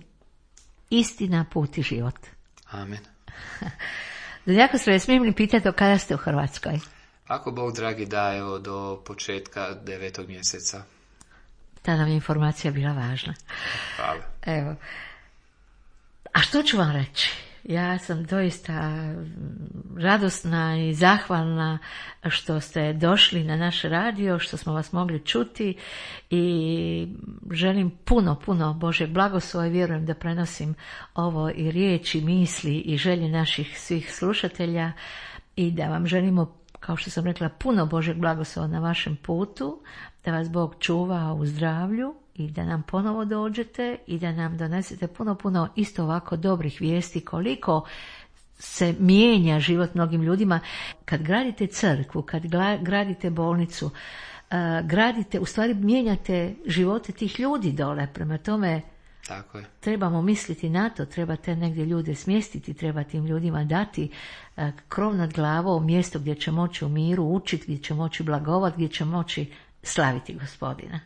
istina, put i život. Amen. Jako se smijem li pitati o kada ste u Hrvatskoj? Ako Bog dragi da, evo, do početka devetog mjeseca. Ta nam je informacija bila važna. Hvala. Evo. A što ću vam reći? Ja sam doista radosna i zahvalna što ste došli na naš radio, što smo vas mogli čuti i želim puno, puno Božjeg blagoslova i vjerujem da prenosim ovo i riječi, misli i želje naših svih slušatelja i da vam želimo, kao što sam rekla, puno Božjeg blagoslova na vašem putu, da vas Bog čuva u zdravlju i da nam ponovo dođete i da nam donesete puno, puno isto ovako dobrih vijesti koliko se mijenja život mnogim ljudima. Kad gradite crkvu, kad gradite bolnicu, uh, gradite, u stvari mijenjate živote tih ljudi dole. Prema tome, tako je. Trebamo misliti na to, treba te negdje ljude smjestiti, treba tim ljudima dati uh, krov nad glavom, mjesto gdje će moći u miru učiti, gdje će moći blagovati, gdje će moći slaviti Gospodina.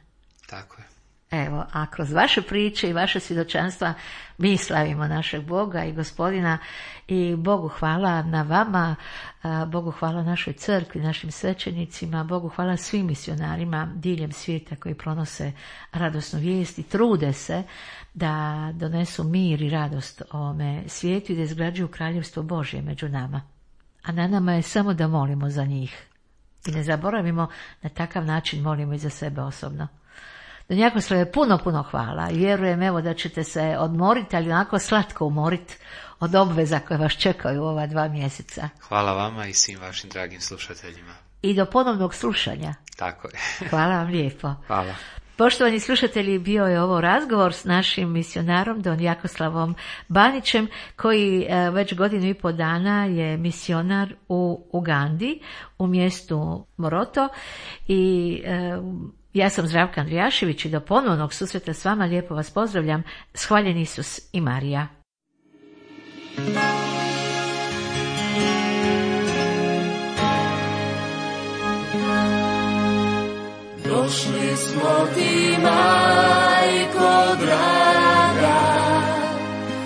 Tako je. Evo, a kroz vaše priče i vaše svjedočanstva mi slavimo našeg Boga i Gospodina i Bogu hvala na vama, Bogu hvala našoj crkvi, našim svećenicima, Bogu hvala svim misionarima diljem svijeta koji pronose radosnu vijest i trude se da donesu mir i radost ovome svijetu i da izgrađuju kraljevstvo Božje među nama. A na nama je samo da molimo za njih. I ne zaboravimo, na takav način molimo i za sebe osobno. Don Jakoslave, puno, puno hvala i vjerujem evo da ćete se odmoriti, ali onako slatko umoriti od obveza koje vas čekaju u ova dva mjeseca. Hvala vama i svim vašim dragim slušateljima. I do ponovnog slušanja. Tako je. Hvala vam lijepo. Hvala. Poštovani slušatelji, bio je ovo razgovor s našim misionarom Don Jakoslavom Banićem, koji već godinu i pol dana je misionar u Ugandi, u mjestu Moroto i ja sam Zdravka Andrijašević i do ponovnog susreta s vama lijepo vas pozdravljam. Hvaljen Isus i Marija. Do došli smo ti, majko draga,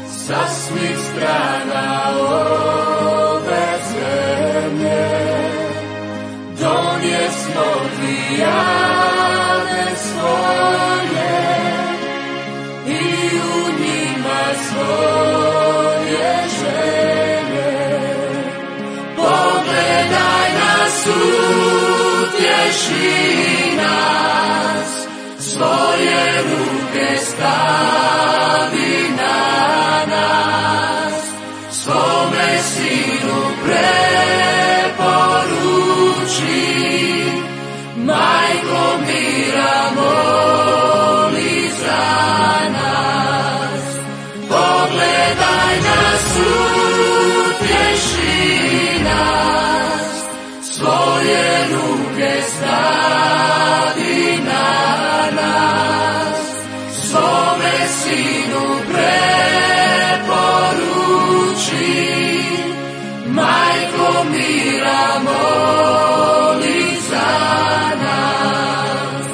sa svih strana ove zemlje. Donjesmo ti jade svoje i u njima svoje želje. Pogledaj nas, utješi nas, svoje ruke stavi na nas, svome sinu preporuči, majko mira moli za nas. Pogledaj nas, utješi nas, svoje ruke stavi na nas, svome sinu preporuči, majko mira moli za nas.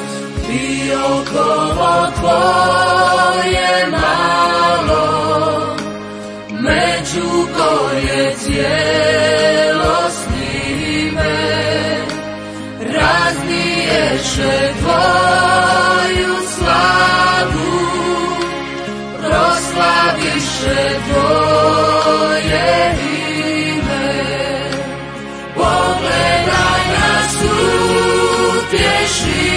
Biokovo tvoje malo, među koje cijelo snime, razniješe tvoju slavu, proslaviše tvoje ime. Pogledaj nas, utješi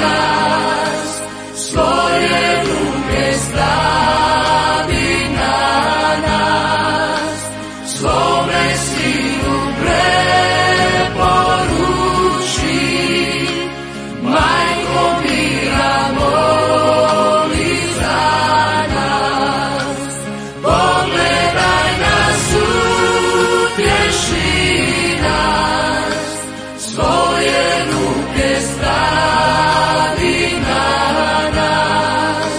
nas, svoje ruke stavi na nas, svome sinu preporuči, majko mira moli za nas. Pogledaj nas, utješi nas, svoje ruke stavi na nas,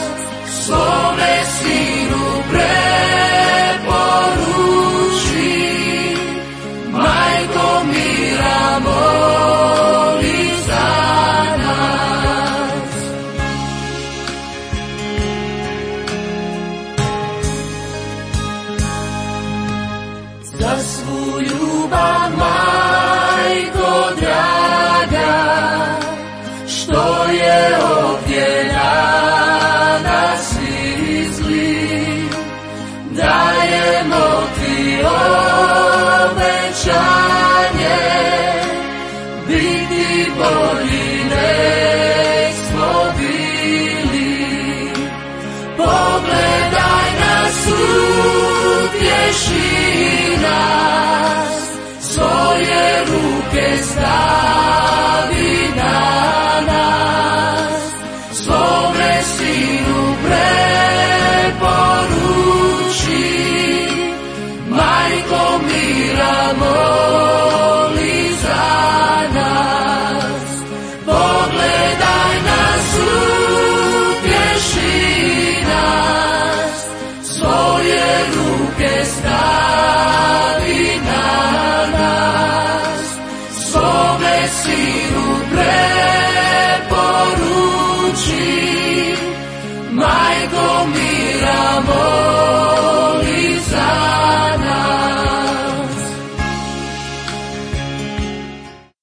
svome sinu preporuči, majko mira moli za nas. Za svu ljubav, majko draga, što je ovdje na nas izli, dajemo ti obećanje, biti bolji nek smo bili. Pogledaj nas, utješi nas, svoje ruke stavi na nas, svome sinu preporuči, majko mira moli za nas. Pogledaj nas, utješi nas, svoje ruke stavi na nas, svome sinu preporuči, majko mira